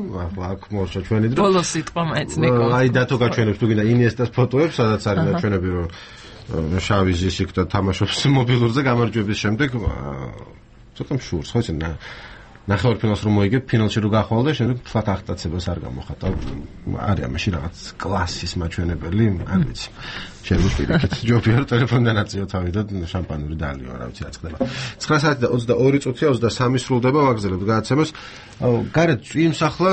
აქ მორჩა ჩვენი დრო. ბოლოს სიტყვა მაინც ნიკო. აი დათო გაჩვენებს თუ გინდა ინიესტას ფოტოებს, სადაც არის ნაჩვენები, რომ შავი ზისიქ და თამაშობს მობილურზე გამარჯვების შემდეგ. ცოტა მშურს, ხო იცი და ნახევარფინალს რომ მოიგებ, ფინალში რო გახვალ და შემდეგ ფლატ აღტაცებას არ გამოხატა. არის ამაში რაღაც კლასის მაჩვენებელი, არ ვიცი. შეიძლება პირიქით ჯობია რომ ტელეფონიდან აწიო თავი და შამპანური დალიო, რა ვიცი, რაც ხდება. ცხრა საათი და ოცდაორი წუთია, ოცდასამი სრულდება, ვაგრძელებთ გადაცემას. გარეთ წვიმს ახლა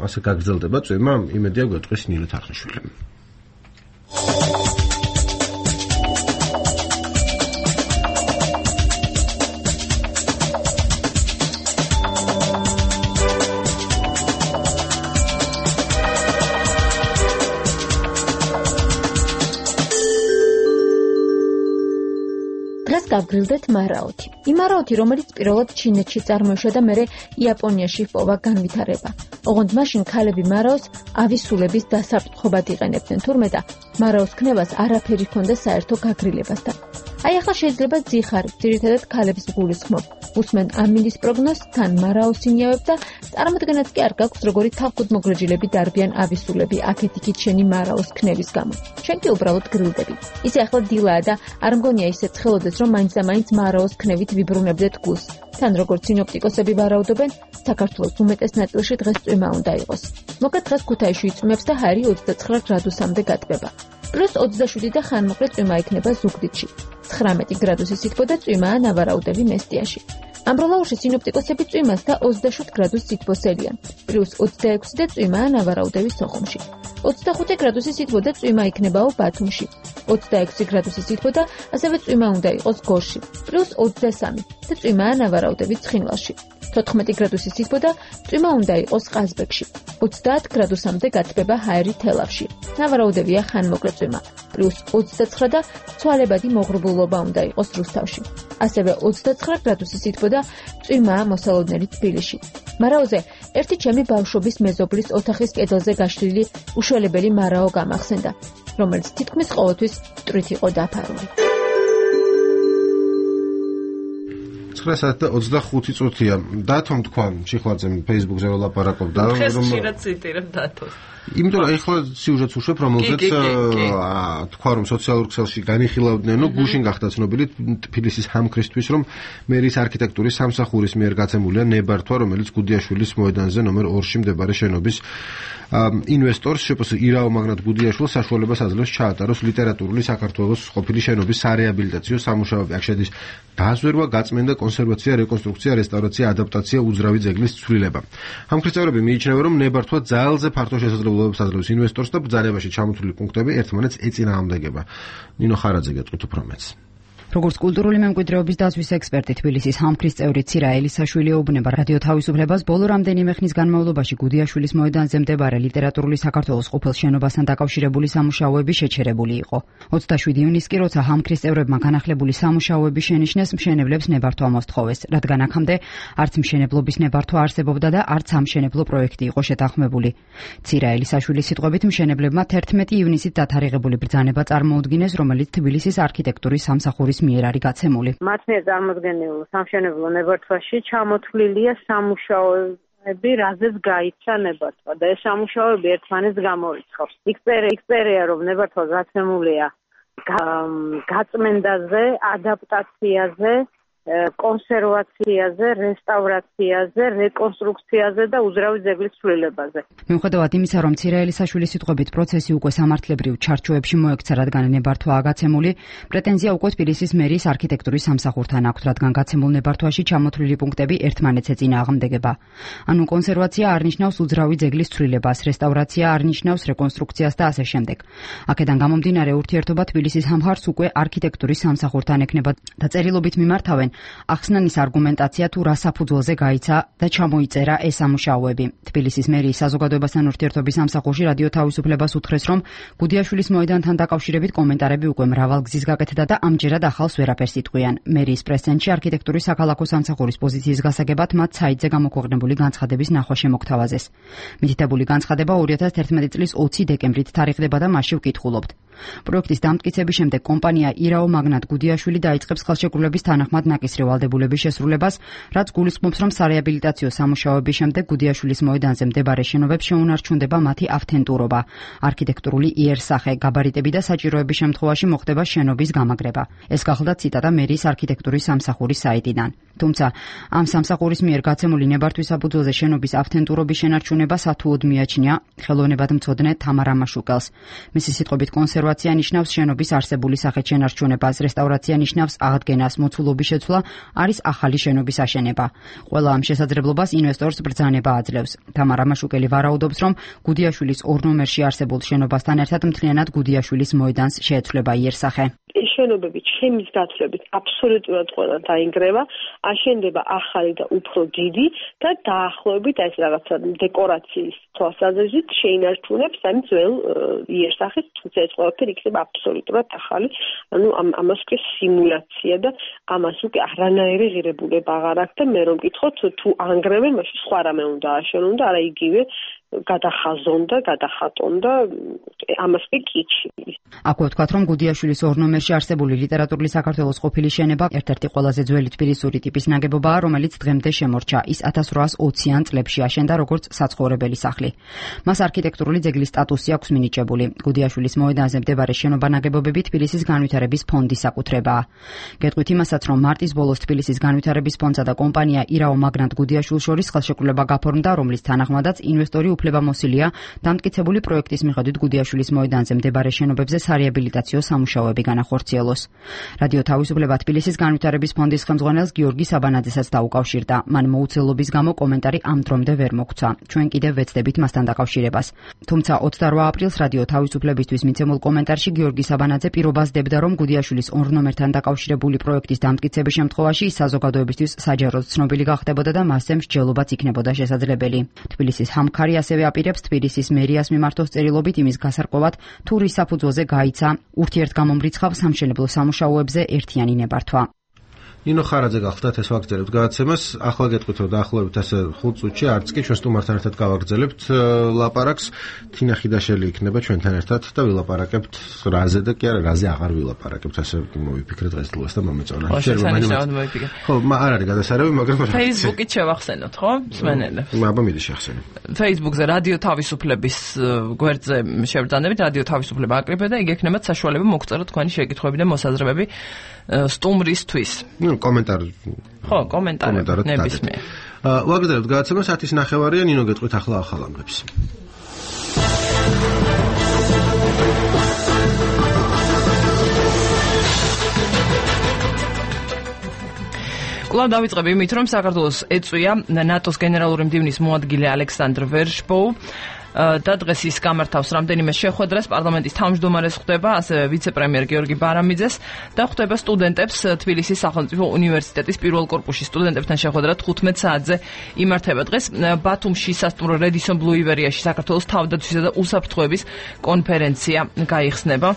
ასე გაგრძელდება წვიმა, იმედია გვეტყვის ნინო თარხნიშვილი. გავგრძელდეთ მარაოთი. იმ მარაოთი, რომელიც პირველად ჩინეთში წარმოიშვა და მერე იაპონიაში ჰპოვა განვითარება. ოღონდ მაშინ ქალები მარაოს ავისულების დასაპტყობად იყენებდნენ, თურმე და მარაოს ქნებას არაფერი ჰქონდა საერთო გაგრილებასთან. აი ახლა შეიძლება ძიხარი, ძირითადად ქალებს გულისხმობ. უსმენ ამინდის პროგნოზს, თან მარაოს ინიავებს და წარმოდგენაც კი არ გაქვს, როგორი თავქუდმოგრეჯილები დარბიან ავისულები აქეთ-იქით შენი მარაოს ქნების გამო. შენ კი უბრალოდ გრილდები. ისე ახლა დილაა და არ მგონია ისე ცხელოდეს, რომ მაინც და მაინც მარაოს ქნებით ვიბრუნებდეთ გულს. თან როგორც სინოპტიკოსები ვარაუდობენ, საქართველოს უმეტეს ნაწილში დღეს წვიმა უნდა იყოს. მოკლედ დღეს ქუთაისში იწვიმებს და ჰაერი ოცდაცხრა გრადუსამდე გატბება. პლუს ოცდაშვიდი და ხანმოკლე წვიმა იქნება ზუგდიდში. ცხრამეტი გრადუსი სითბო და წვიმაა ნავარაუდები მესტიაში. ამბროლაურში სინოპტიკოსები წვიმას და ოცდაშვიდ გრადუს სითბოს ელიან. პლუს ოცდაექვსი და წვიმაა ნავარაუდები სოხუმში. ოცდახუთი გრადუსი სითბო და წვიმა იქნებაო ბათუმში. ოცდაექვსი გრადუსი სითბო და ასევე წვიმა უნდა იყოს გორში. პლუს ოცდასამი და წვიმაა ნავარაუდები ცხინვალში. თოთხმეტი გრადუსის სითბო და წვიმა უნდა იყოს ყაზბეგში. ოცდაათ გრადუსამდე გათბება ჰაერი თელავში. ნავარაუდებია ხანმოკლე წვიმა. პლუს ოცდაცხრა და ცვალებადი მოღრუბლულობა უნდა იყოს რუსთავში. ასევე ოცდაცხრა გრადუსის სითბო და წვიმაა მოსალოდნელი თბილისში. მარაოზე ერთი ჩემი ბავშვობის მეზობლის ოთახის კედელზე გაშლილი უშველებელი მარაო გამახსენდა, რომელიც თითქმის ყოველთვის მტვრით იყო დაფარული. ცხრა საათი და ოცდახუთი წუთია. დათომ თქვა შიხლაძემ Facebook-ზე ვლაპარაკობდა, რომ ხშირად ციტირებ დათოს. იმიტომ რომ ეხლა სიუჟეტს უშვებ, რომელზეც თქვა რომ სოციალურ ქსელში განიხილავდნენ, ნუ გუშინ გახდა ცნობილი თბილისის ჰამქრისთვის, რომ მერის არქიტექტურის სამსახურის მიერ გაცემულია ნებართვა, რომელიც გუდიაშვილის მოედანზე ნომერ ორში მდებარე შენობის ინვესტორს შპს ირაო მაგნატ გუდიაშვილს საშუალებას აძლევს ჩაატაროს ლიტერატურული საქართველოს ყოფილი შენობის სარეაბილიტაციო სამუშაოები. აქ შედის დაზვერვა, გაწმენდა, კონსერვაცია, რეკონსტრუქცია, რესტავრაცია, ადაპტაცია, უძრავი ძეგლის ცვლილება. ჰამქრისტევრები მიიჩნევენ, რომ ნებართვა ძალზე ფართო შესაძლებლობებს აძლევს ინვესტორს და ბრძანებაში ჩამოთვლილი პუნქტები ერთმანეთს ეწინააღმდეგება. ნინო ხარაძე გეტყვით უფრო მეც. როგორც კულტურული მემკვიდრეობის დაცვის ექსპერტი თბილისის ჰამქრის წევრი ცირა ელისაშვილი ეუბნება რადიო თავისუფლებას, ბოლო რამდენიმე ხნის განმავლობაში გუდიაშვილის მოედანზე მდებარე ლიტერატურული საქართველოს ყოფილ შენობასთან დაკავშირებული სამუშაოები შეჩერებული იყო. ოცდაშვიდი ივნისს კი, როცა ჰამქრის წევრებმა განახლებული სამუშაოები შენიშნეს, მშენებლებს ნებართვა მოსთხოვეს, რადგან აქამდე არც მშენებლობის ნებართვა არსებობდა და არც სამშენებლო პროექტი იყო შეთანხმებული. ცირა ელისაშვილის სიტყვებით, მშენებლებმა თერთმეტი ივნისით დათარიღებული ბრძანება წარმოუდგინეს, რომელიც თბილისის არქიტექტურის სამსახურის მიერ არის გაცემული. მათ მიერ წარმოდგენილ სამშენებლო ნებართვაში ჩამოთვლილია სამუშაოები, რაზეც გაიცა ნებართვა და ეს სამუშაოები ერთმანეთს გამორიცხავს. იქ რომ ნებართვა გაცემულია გაწმენდაზე, ადაპტაციაზე, კონსერვაციაზე, რესტავრაციაზე, რეკონსტრუქციაზე და უძრავი ძეგლის ცვლილებაზე. მიუხედავად იმისა, რომ ცირა ელისაშვილის სიტყვებით პროცესი უკვე სამართლებრივ ჩარჩოებში მოექცა, რადგან ნებართვაა გაცემული, პრეტენზია უკვე თბილისის მერიის არქიტექტურის სამსახურთან აქვთ, რადგან გაცემულ ნებართვაში ჩამოთვლილი პუნქტები ერთმანეთს ეწინააღმდეგება. ანუ კონსერვაცია არნიშნავს უძრავი ძეგლის ცვლილებას, რესტავრაცია არნიშნავს რეკონსტრუქციას და ასე შემდეგ. აქედან გამომდინარე, ურთიერთობა თბილისის ამხარს უკვე არქიტექტურის სამსახურთან ექნება და წერილობით მიმართავენ ახსნანის არგუმენტაცია თუ რა საფუძველზე გაიცა და ჩამოიწერა ეს სამუშაოები. თბილისის მერიის საზოგადოებასთან ურთიერთობის სამსახურში რადიო თავისუფლებას უთხრეს, რომ გუდიაშვილის მოედანთან დაკავშირებით კომენტარები უკვე მრავალგზის გაკეთდა და ამჯერად ახალს ვერაფერს იტყვიან. მერიის პრეს-ცენტრში არქიტექტურის საქალაქო სამსახურის პოზიციის გასაგებად მათ საიტზე გამოქვეყნებული განცხადების ნახვა შემოგთავაზეს. მითითებული განცხადება ორი ათას თერთმეტი წლის ოცი დეკემბრით თარიღდება და მასში ვკითხულობთ. პროექტის დამტკიცების შემდეგ კომპანია ირაო მაგნატ გუდიაშვილი დაიწყებს ხელშეკრულების თანახმად ნაკისრი ვალდებულების შესრულებას, რაც გულისხმობს, რომ სარეაბილიტაციო სამუშაოების შემდეგ გუდიაშვილის მოედანზე მდებარე შენობებს შეუნარჩუნდება მათი ავთენტურობა, არქიტექტურული იერსახე, გაბარიტები და საჭიროების შემთხვევაში მოხდება შენობის გამაგრება. ეს გახლდა ციტატა მერიის არქიტექტურის სამსახურის საიტიდან. თუმცა ამ სამსახურის მიერ გაცემული ნებართვის საფუძველზე შენობის ავთენტურობის შენარჩუნება სათუოდ მიაჩნია ხელოვნებადმცოდნე თამარა მაშუკელს. მისი სიტყვებით კონსერვაცია ნიშნავს შენობის არსებული სახით შენარჩუნებას, რესტავრაცია ნიშნავს აღდგენას, მოცულობის შეცვლა არის ახალი შენობის აშენება. ყველა ამ შესაძლებლობას ინვესტორს ბრძანება აძლევს. თამარა მაშუკელი ვარაუდობს, რომ გუდიაშვილის ორ ნომერში არსებულ შენობასთან ერთად მთლიანად გუდიაშვილის მოედანს შეეცვლება იერსახე. ეს შენობები ჩემის გაცვლებით აბსოლუტურად ყველა დაინგრევა, აშენდება ახალი და უფრო დიდი და დაახლოებით ეს რაღაცა დეკორაციის თვალსაზრისით შეინარჩუნებს ამ ძველ იერსახეს, თუმცა ეს ყველაფერი იქნება აბსოლუტურად ახალი, ანუ ამას უკვე სიმულაცია და ამას უკვე არანაირი ღირებულება აღარ აქვს და მე რომ მკითხოთ თუ ანგრევენ, მაშინ სხვა რამე უნდა აშენონ და არა იგივე გადახაზონ და გადახატონ და ამას კი კიჩი. აქვე ვთქვათ, რომ გუდიაშვილის ორ ნომერში არსებული ლიტერატურული საქართველოს ყოფილი შენება ერთ-ერთი ყველაზე ძველი თბილისური ტიპის ნაგებობაა, რომელიც დღემდე შემორჩა. ის ათას რვაას ოციან წლებში აშენდა როგორც საცხოვრებელი სახლი. მას არქიტექტურული ძეგლის სტატუსი აქვს მინიჭებული. გუდიაშვილის მოედანზე მდებარე შენობა-ნაგებობები თბილისის განვითარების ფონდის საკუთრებაა. გეტყვით იმასაც, რომ მარტის ბოლოს თბილისის განვითარების ფონდსა და კომპანია ირაო მაგნატ გუდიაშვილს შორის ხელშეკრულება გაფორმდა, რომლის თანახმადაც ინვესტორი უფლებამოსილია დამტკიცებული პროექტის მიხედვით გუდიაშვილის მოედანზე მდებარე შენობებზე სარეაბილიტაციო სამუშაოები განახორციელოს. რადიო თავისუფლება თბილისის განვითარების ფონდის ხელმძღვანელს გიორგი საბანაძესაც დაუკავშირდა. მან მოუცელობის გამო კომენტარი ამ დრომდე ვერ მოგცა. ჩვენ კიდევ ვეცდებით მასთან დაკავშირებას. თუმცა ოცდარვა აპრილს რადიო თავისუფლებისთვის მიცემულ კომენტარში გიორგი საბანაძე პირობას დებდა, რომ გუდიაშვილის ორ ნომერთან დაკავშირებული პროექტის დამტკიცების შემთხვევაში ის საზოგადოებისთვის საჯაროდ ცნობილი გახდებოდა და მასზე მსჯელობაც იქნებოდა შესაძლებელი. თბილისის ჰამქარი ასევე აპირებს თბილისის მერიას მიმართოს წერილობით იმის გასარკვევად, თუ რის საფუძველზე გაიცა ურთიერთგამომრიცხავ სამშენებლო სამუშაოებზე ერთიანი ნებართვა. ნინო ხარაძე გახლდათ ეს ვაგრძელებთ გადაცემას. ახლა გეტყვით, რომ დაახლოებით ასე ხუთ წუთში არც კი ჩვენ სტუმართან ერთად გავაგრძელებთ ლაპარაკს. თინა ხიდაშელი იქნება ჩვენთან ერთად და ვილაპარაკებთ რაზე და კი არა რაზე აღარ ვილაპარაკებთ. ასე მოვიფიქრე დღესდღეას და მომეწონა. ხო, არ არის გადასარევი, მაგრამ Facebook-ით შევახსენოთ, ხო? მსმენელებს. აბა მიდი შეხსენე. Facebook-ზე რადიო თავისუფლების გვერდზე შევბრძანებით, რადიო თავისუფლება აკრიფე და იქ ექნებათ საშუალება მოგწეროთ თქვენი შეკითხვები და მოსაზრებები სტუმრისთვის. ნუ კომენტარი. ხო, კომენტარი ნებისმიერ. ვაგრძელებთ გადაცემას ათის ნახევარია, ნინო გეტყვით ახლა ახალ ამბებს. კვლავ დავიწყებ იმით, რომ საქართველოს ეწვია ნატოს გენერალური მდივნის მოადგილე ალექსანდრ ვერშბოუ და დღეს ის გამართავს რამდენიმე შეხვედრას, პარლამენტის თავმჯდომარეს ხვდება, ასევე ვიცე-პრემიერ გიორგი ბარამიძეს და ხვდება სტუდენტებს თბილისის სახელმწიფო უნივერსიტეტის პირველ კორპუსში. სტუდენტებთან შეხვედრა თხუთმეტ საათზე იმართება. დღეს ბათუმში სასტუმრო რედისონ ბლუ ივერიაში საქართველოს თავდაცვისა და უსაფრთხოების კონფერენცია გაიხსნება.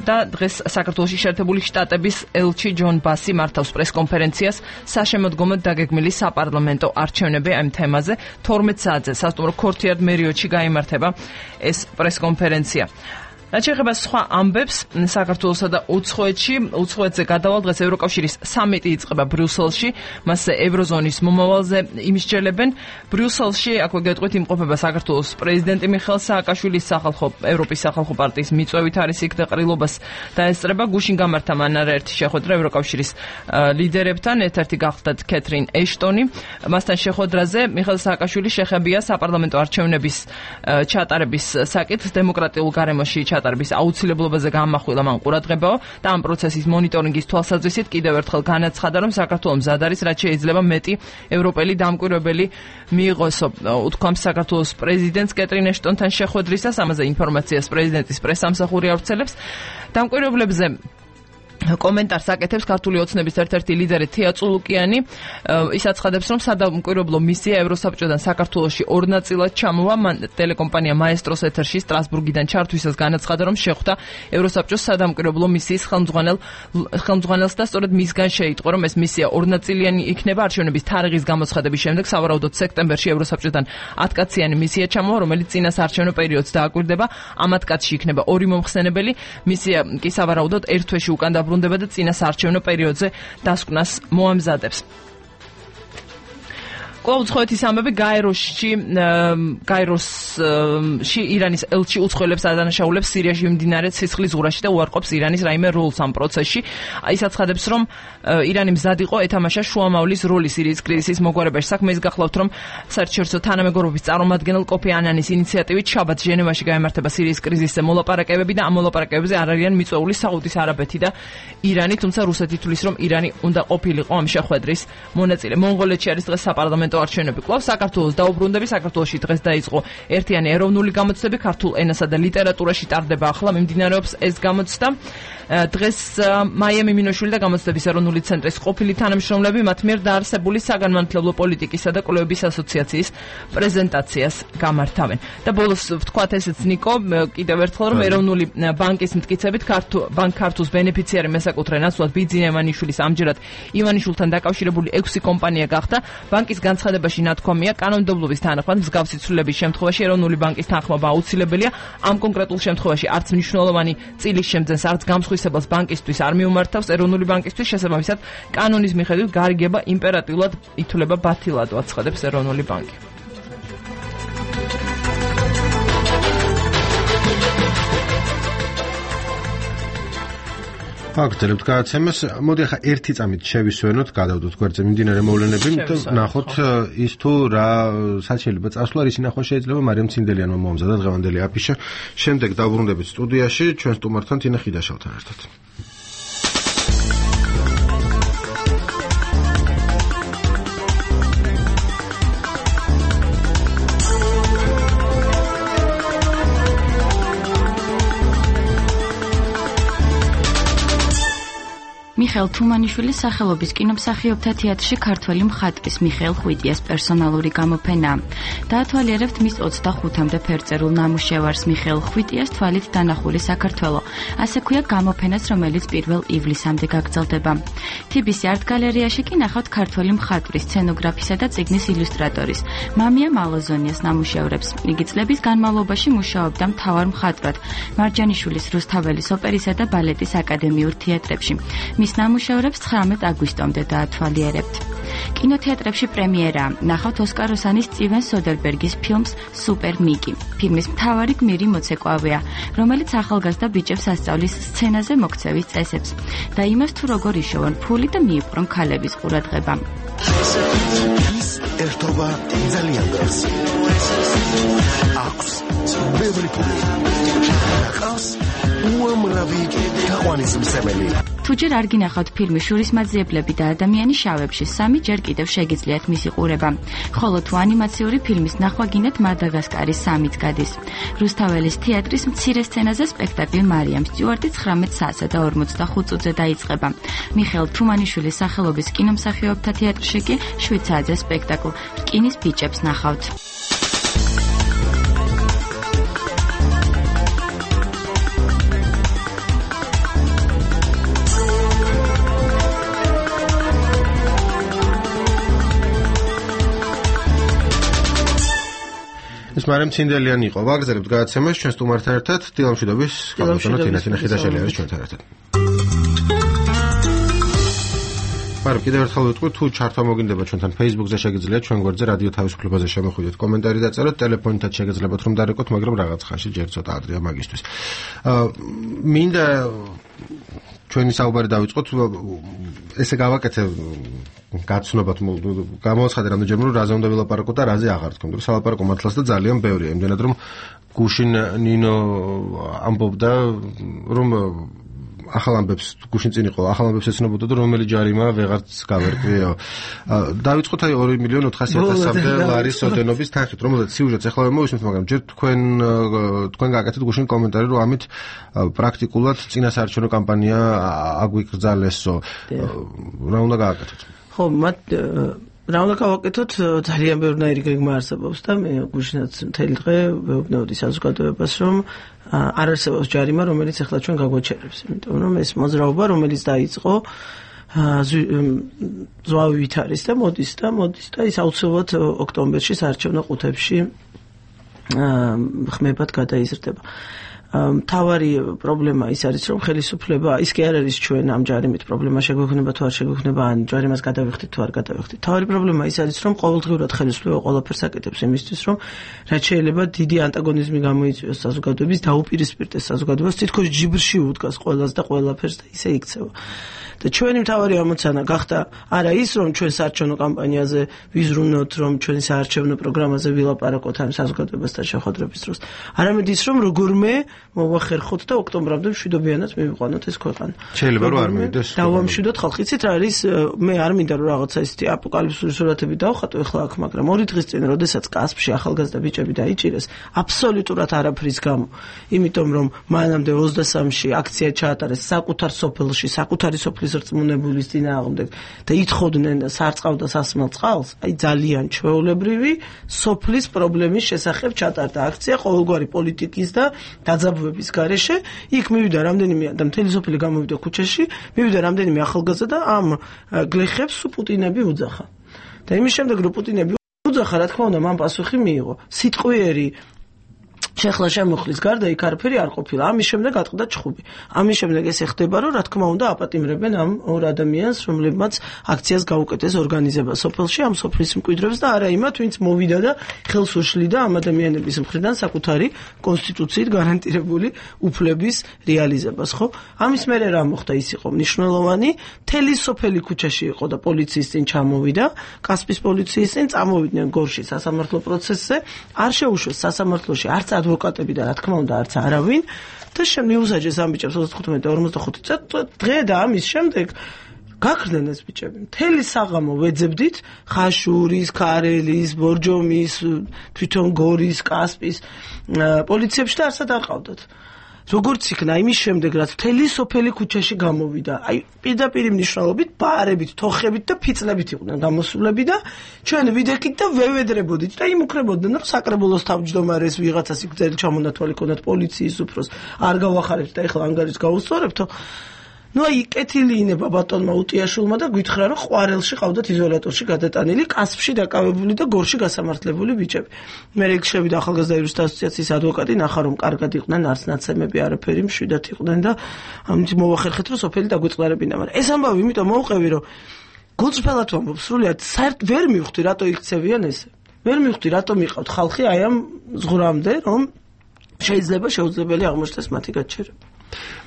და დღეს საქართველოში შეერთებული შტატების ელჩი ჯონ ბასი მართავს პრესკონფერენციას საშემოდგომოდ დაგეგმილი საპარლამენტო არჩევნები ამ თემაზე. თორმეტ საათზე სასტუმრო ქორთიარდ მერიოტში გაიმართება ეს პრესკონფერენცია. რაც შეეხება სხვა ამბებს საქართველოსა და უცხოეთში, უცხოეთზე გადავალ დღეს ევროკავშირის სამიტი იწყება ბრიუსელში, მასზე ევროზონის მომავალზე იმსჯელებენ. ბრიუსელში, აქვე გეტყვით, იმყოფება საქართველოს პრეზიდენტი მიხეილ სააკაშვილის სახალხო ევროპის სახალხო პარტიის მიწვევით არის იქ და ყრილობას დაესწრება. გუშინ გამართა მან არაერთი შეხვედრა ევროკავშირის ლიდერებთან, ერთ-ერთი გახლდათ კეთრინ ეშტონი. მასთან შეხვედრაზე მიხეილ სააკაშვილი შეხებია საპარლამენტო არჩევნების ჩატარების საკითხს, დემოკრატიულ გარემოში ჩატარების აუცილებლობაზე გამახვილა მან ყურადღებაო და ამ პროცესის მონიტორინგის თვალსაზრისით კიდევ ერთხელ განაცხადა, რომ საქართველოს მზად არის, რაც შეიძლება მეტი ევროპელი დამკვირვებელი მიიღოსო. უთქვამს საქართველოს პრეზიდენტს კეთრინ ეშტონთან შეხვედრისას, ამაზე ინფორმაციას პრეზიდენტის პრესსამსახური ავრცელებს. დამკვირვებლებზე კომენტარს აკეთებს ქართული ოცნების ერთ-ერთი ლიდერი თია წულუკიანი. ის აცხადებს, რომ სადამკვირვებლო მისია ევროსაბჭოდან საქართველოში ორ ნაწილად ჩამოვა. მან ტელეკომპანია მაესტროს ეთერში სტრასბურგიდან ჩართვისას განაცხადა, რომ შეხვდა ევროსაბჭოს სადამკვირვებლო მისიის ხელმძღვანელ ხელმძღვანელს და სწორედ მისგან შეიტყო, რომ ეს მისია ორნაწილიანი იქნება. არჩევნების თარიღის გამოცხადების შემდეგ სავარაუდოდ სექტემბერში ევროსაბჭოდან ათკაციანი მისია ჩამოვა, რომელიც წინა საარჩევნო პერიოდს დააკვირდება. ამ ათკაცში იქნება ორი მომხსენებელი. მისია კი სავარაუდოდ ერთ თვეში უკან დაბრუნდება და წინა საარჩევნო პერიოდზე დასკვნას მოამზადებს. კვლავ უცხოეთის ამბები გაეროში გაეროში ირანის ელჩი უცხოელებს ადანაშაულებს სირიაში მიმდინარე ცეცხლის ზღურაში და უარყოფს ირანის რაიმე როლს ამ პროცესში. ის აცხადებს, რომ ირანი მზად იყო ეთამაშა შუამავლის როლი სირიის კრიზისის მოგვარებაში. საქმე ის გახლავთ, რომ საერთაშორისო თანამეგობრობის წარმომადგენელ კოფი ანანის ინიციატივით შაბათს ჟენევაში გაიმართება სირიის კრიზისზე მოლაპარაკებები და ამ მოლაპარაკებებზე არ არიან მიწვეული საუდის არაბეთი და ირანი, თუმცა რუსეთი თვლის, რომ ირანი უნდა ყოფილიყო ამ შეხვედრის მონაწილე. მონღოლეთში არის დღეს საპარლამენტო არჩევნები. კვლავ საქართველოს დაუბრუნდები. საქართველოში დღეს დაიწყო ერთიანი ეროვნული გამოცდები, ქართულ ენასა და ლიტერატურაში ტარდება ახლა მიმდინარეობს ეს გამოცდა. დღეს მაია მიმინოშვილი და გამოცდების ეროვნული ცენტრის ყოფილი თანამშრომლები მათ მიერ დაარსებული საგანმანათლებლო პოლიტიკისა და კვლევების ასოციაციის პრეზენტაციას გამართავენ. და ბოლოს ვთქვათ ესეც ნიკო, კიდევ ერთხელ რომ ეროვნული ბანკის მტკიცებით ბანკ ქართულს ბენეფიციარი მესაკუთრე ნაცვლად ბიძინა ივანიშვილის ამჯერად ივანიშვილთან დაკავშირებული ექვსი კომპანია გახდა. ბანკის განცხადებაში ნათქვამია, კანონმდებლობის თანახმად მსგავსი ცვლილების შემთხვევაში ეროვნული ბანკის თანხმობა აუცილებელია. ამ კონკრეტულ შემთხვევაში არც მნიშვნელოვანი წილის შემძენს, არც გამსხვილებელს ბანკისთვის არ მიუმართავს. ეროვნული ბანკისთვის შესაბამისად კანონის მიხედვით გარიგება იმპერატიულად ითვლება ბათილად, აცხადებს ეროვნული ბანკი. აგრძელებთ გადაცემას. მოდი ახლა ერთი წამით შევისვენოთ, გადავდოთ გვერდზე მიმდინარე მოვლენები, ნახოთ ის თუ რა სად შეიძლება წასვლა, რის ნახვა შეიძლება მარიამ ცინდელიანმა მოამზადა დღევანდელი აფიშა. შემდეგ დავბრუნდებით სტუდიაში ჩვენ სტუმართან თინა ხიდაშალთან ერთად. მიხეილ თუმანიშვილის სახელობის კინომსახიობთა თეატრში ქართველი მხატვრის მიხეილ ხვიტიას პერსონალური გამოფენა. დაათვალიერებთ მის ოცდახუთამდე ფერწერულ ნამუშევარს მიხეილ ხვიტიას თვალით დანახული საქართველო. ასე ქვია გამოფენას, რომელიც პირველ ივლისამდე გაგრძელდება. თიბის არტ გალერეაში კი ნახავთ ქართველი მხატვრის, სცენოგრაფისა და წიგნის ილუსტრატორის მამია მალოზონიას ნამუშევრებს. იგი წლების განმავლობაში მუშაობდა მთავარ მხატვრად მარჯანიშვილის რუსთაველის ოპერისა და ბალეტის აკადემიურ თეატრებში. მის ნამუშევრებს ცხრამეტ აგვისტომდე დაათვალიერებთ. კინოთეატრებში პრემიერა. ნახავთ ოსკარ ოსანის სტივენ სოდერბერგის ფილმს სუპერ მიკი. ფილმის მთავარი გმირი მოცეკვავეა, რომელიც ახალგაზრდა ბიჭებს ასწავლის სცენაზე მოქცევის წესებს და იმას თუ როგორ იშოვონ ფული და მიიპყრონ ქალების ყურადღება. ის ერთობა ძალიან გას. აქვს ბევრი ფული. ნახავს უამრავი თაყვანისმცემელი. თუჯერ არ გინახავთ ფილმი შურისმაძიებლები და ადამიანი შავებში, სამი ჯერ კიდევ შეგიძლიათ მისი ყურება. ხოლო თუ ანიმაციური ფილმის ნახვა გინდათ, მადაგასკარის სამიც გადის. რუსთაველის თეატრის მცირე სცენაზე სპექტაკლი მარიამ სტიუარტი ცხრამეტ საათსა და ორმოცდახუთ წუთზე დაიწყება. მიხეილ თუმანიშვილის სახელობის კინომსახიობთა თეატრში კი შვიდ საათზე სპექტაკლ რკინის ბიჭებს ნახავთ. ეს მარიამ ცინდელიანი იყო. ვაგრძელებთ გადაცემას ჩვენ სტუმართან ერთად, დილამშვიდობის გაბატონო თინა ხიდაშელი არის ჩვენთან ერთად. მაგრამ კიდევ ერთხელ ვიტყვი, თუ ჩართვა მოგინდება ჩვენთან Facebook-ზე შეგიძლიათ ჩვენ გვერდზე რადიო თავისუფლებაზე შემოხვიდეთ, კომენტარი დაწეროთ, ტელეფონითაც შეგიძლიათ რომ დარეკოთ, მაგრამ რაღაც ხანში ჯერ ცოტა ადრეა მაგისთვის. აა მინდა ჩვენი საუბარი დავიწყოთ, ესე გავაკეთე გაცნობათ გამოაცხადე რამდენჯერმე რომ რაზე უნდა ვილაპარაკო და რაზე აღარ თქო, მაგრამ სალაპარაკო მართლაც და ძალიან ბევრია, იმდენად რომ გუშინ ნინო ამბობდა რომ ახალ ამბებს გუშინ წინ იყო, ახალ ამბებს ეცნობოდა და რომელი ჯარიმა ვეღარც გავერკვიო. დავიწყოთ აი ორი მილიონი ოთხასი ათასამდე ლარის ოდენობის თანხით, რომელზეც სიუჟეტს ახლა ვერ მოვისმენთ, მაგრამ ჯერ თქვენ თქვენ გააკეთეთ გუშინ კომენტარი, რომ ამით პრაქტიკულად წინასაარჩევნო კამპანია აგვიკრძალესო. რა უნდა გააკეთოთ? ხო, მათ რა უნდა გავაკეთოთ, ძალიან ბევრნაირი გეგმა არსებობს და მე გუშინაც მთელი დღე ვეუბნეოდი საზოგადოებას, რომ არ არსებობს ჯარიმა, რომელიც ახლა ჩვენ გაგვაჩერებს, იმიტომ რომ ეს მოძრაობა, რომელიც დაიწყო ზვავივით არის და მოდის და მოდის და ის აუცილებლად ოქტომბერში საარჩევნო ყუთებში ხმებად გადაიზრდება. მთავარი პრობლემა ის არის, რომ ხელისუფლება, ის კი არ არის ჩვენ ამ ჯარიმით პრობლემა შეგვექნება თუ არ შეგვექნება, ან ჯარიმას გადავიხდით თუ არ გადავიხდით. მთავარი პრობლემა ის არის, რომ ყოველდღიურად ხელისუფლება ყველაფერს აკეთებს იმისთვის, რომ რაც შეიძლება დიდი ანტაგონიზმი გამოიწვიოს საზოგადოების, დაუპირისპირდეს საზოგადოებას, თითქოს ჯიბრში უდგას ყველას და ყველაფერს და ისე იქცევა. და ჩვენი მთავარი ამოცანა გახდა არა ის, რომ ჩვენ საარჩევნო კამპანიაზე ვიზრუნოთ, რომ ჩვენი საარჩევნო პროგრამაზე ვილაპარაკოთ ამ საზოგადოებასთან შეხვედრების დროს, არამედ ის, რომ როგორმე მოვახერხოთ და ოქტომბრამდე მშვიდობიანად მივიყვანოთ ეს ქვეყანა. შეიძლება რომ არ მივიდეს. დავამშვიდოთ ხალხი. იცით რა არის, მე არ მინდა რომ რაღაცა ისეთი აპოკალიფსური სურათები დავხატო ახლა აქ, მაგრამ ორი დღის წინ, როდესაც კასპში ახალგაზრდა ბიჭები დაიჭირეს, აბსოლუტურად არაფრის გამო, იმიტომ რომ მანამდე ოცდასამში აქცია ჩაატარეს საკუთარ სოფელში, საკუთარი სოფლის რწმუნებულის წინააღმდეგ და ითხოვდნენ სარწყავ და სასმელ წყალს, აი ძალიან ჩვეულებრივი სოფლის პრობლემის შესახებ ჩატარდა აქცია ყოველგვარი პოლიტიკის და დაძაბვების გარეშე. იქ მივიდა რამდენიმე და მთელი სოფელი გამოვიდა ქუჩაში, მივიდა რამდენიმე ახალგაზრდა და ამ გლეხებს პუტინები უძახა. და იმის შემდეგ რომ პუტინები უძახა, რა თქმა უნდა, მან პასუხი მიიღო. სიტყვიერი შეხლა შემოხლის გარდა იქ არაფერი არ ყოფილა. ამის შემდეგ ატყდა ჩხუბი. ამის შემდეგ ეს ეხდება, რომ რა თქმა უნდა აპატიმრებენ ამ ორ ადამიანს, რომლებმაც აქციას გაუკეთეს ორგანიზება სოფელში, ამ სოფლის მკვიდრებს და არა იმათ, ვინც მოვიდა და ხელს უშლიდა ამ ადამიანების მხრიდან საკუთარი კონსტიტუციით გარანტირებული უფლების რეალიზებას, ხო? ამის მერე რა მოხდა, ის იყო მნიშვნელოვანი, მთელი სოფელი ქუჩაში იყო და პოლიციის წინ ჩამოვიდა, კასპის პოლიციის წინ წამოვიდნენ გორში სასამართლო პროცესზე, არ შეუშვეს სასამართლოში არც ადვოკატები და რა თქმა უნდა არც არავინ და შემიუსაჯეს ამ ბიჭებს ოცდახუთმეტი და ორმოცდახუთი დღე და ამის შემდეგ გაქრდნენ ეს ბიჭები. მთელი საღამო ვეძებდით ხაშურის, ქარელის, ბორჯომის, თვითონ გორის, კასპის პოლიციებში და არსად არ ყავდათ. როგორც იქნა იმის შემდეგ, რაც მთელი სოფელი ქუჩაში გამოვიდა, აი პირდაპირ მნიშვნელობით, ბაარებით, თოხებით და ფიცლებით იყვნენ გამოსულები და ჩვენ ვიდექით და ვევედრებოდით და იმუქრებოდნენ, რომ საკრებულოს თავმჯდომარეს ვიღაცას იქ ძელი ჩამონათვალი ქონდათ პოლიციის უფროს, არ გავახარებთ და ეხლა ანგარიშს გაუსწორებთო. Ну აი კეთილი ინება ბატონმა უტიაშვილმა და გითხრა რომ ყვარელში ყავდათ იზოლატორში გადატანილი, კასპში დაკავებული და გორში გასამართლებული ბიჭები. მე ეგ შევიდა ახალგაზრდა იურისტთა ასოციაციის ადვოკატი, ნახა რომ კარგად იყვნენ, არც ნაცემები არაფერი მშვიდად იყვნენ და ამით მოვახერხეთ რომ სოფელი დაგვეწყლარებინა, მაგრამ ეს ამბავი იმიტომ მოვყევი რომ გულწრფელად ვამბობ, სრულიად საერთოდ ვერ მივხვდი რატო იქცევიან ესე. ვერ მივხვდი რატომ იყავთ ხალხი აი ამ ზღვრამდე რომ შეიძლება შეუძლებელი აღმოჩნდეს მათი გაჩერება.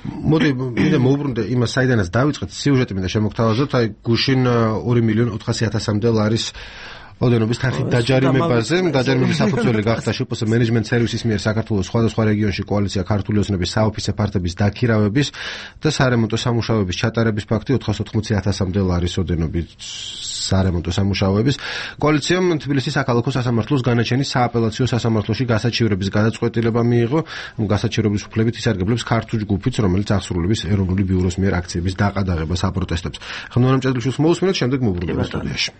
მოდი მინდა მოვუბრუნდე იმას, საიდანაც დავიწყეთ სიუჟეტი, მინდა შემოგთავაზოთ, აი გუშინ ორი მილიონი ოთხასი ათასამდე ლარის ოდენობის თანხით დაჯარიმებაზე, დაჯარიმების საფუძველი გახდა შპს მენეჯმენტ სერვისის მიერ საქართველოს სხვადასხვა რეგიონში კოალიცია ქართული ოცნების საოფისე ფართების დაქირავების და სარემონტო სამუშაოების ჩატარების ფაქტი ოთხას ოთხმოცი ათასამდე ლარის ოდენობის სარემონტო სამუშაოების კოალიციამ თბილისის საქალაქო სასამართლოს განაჩენის სააპელაციო სასამართლოში გასაჩივრების გადაწყვეტილება მიიღო. გასაჩივრების უფლებით ისარგებლებს ქართულ ჯგუფიც, რომელიც აღსრულების ეროვნული ბიუროს მიერ აქციების დაყადაღებას აპროტესტებს. ხნუარამ ჭედლიშვილს მოусმინეთ, შემდეგ მოვუბრუნდებით სტუდიაში.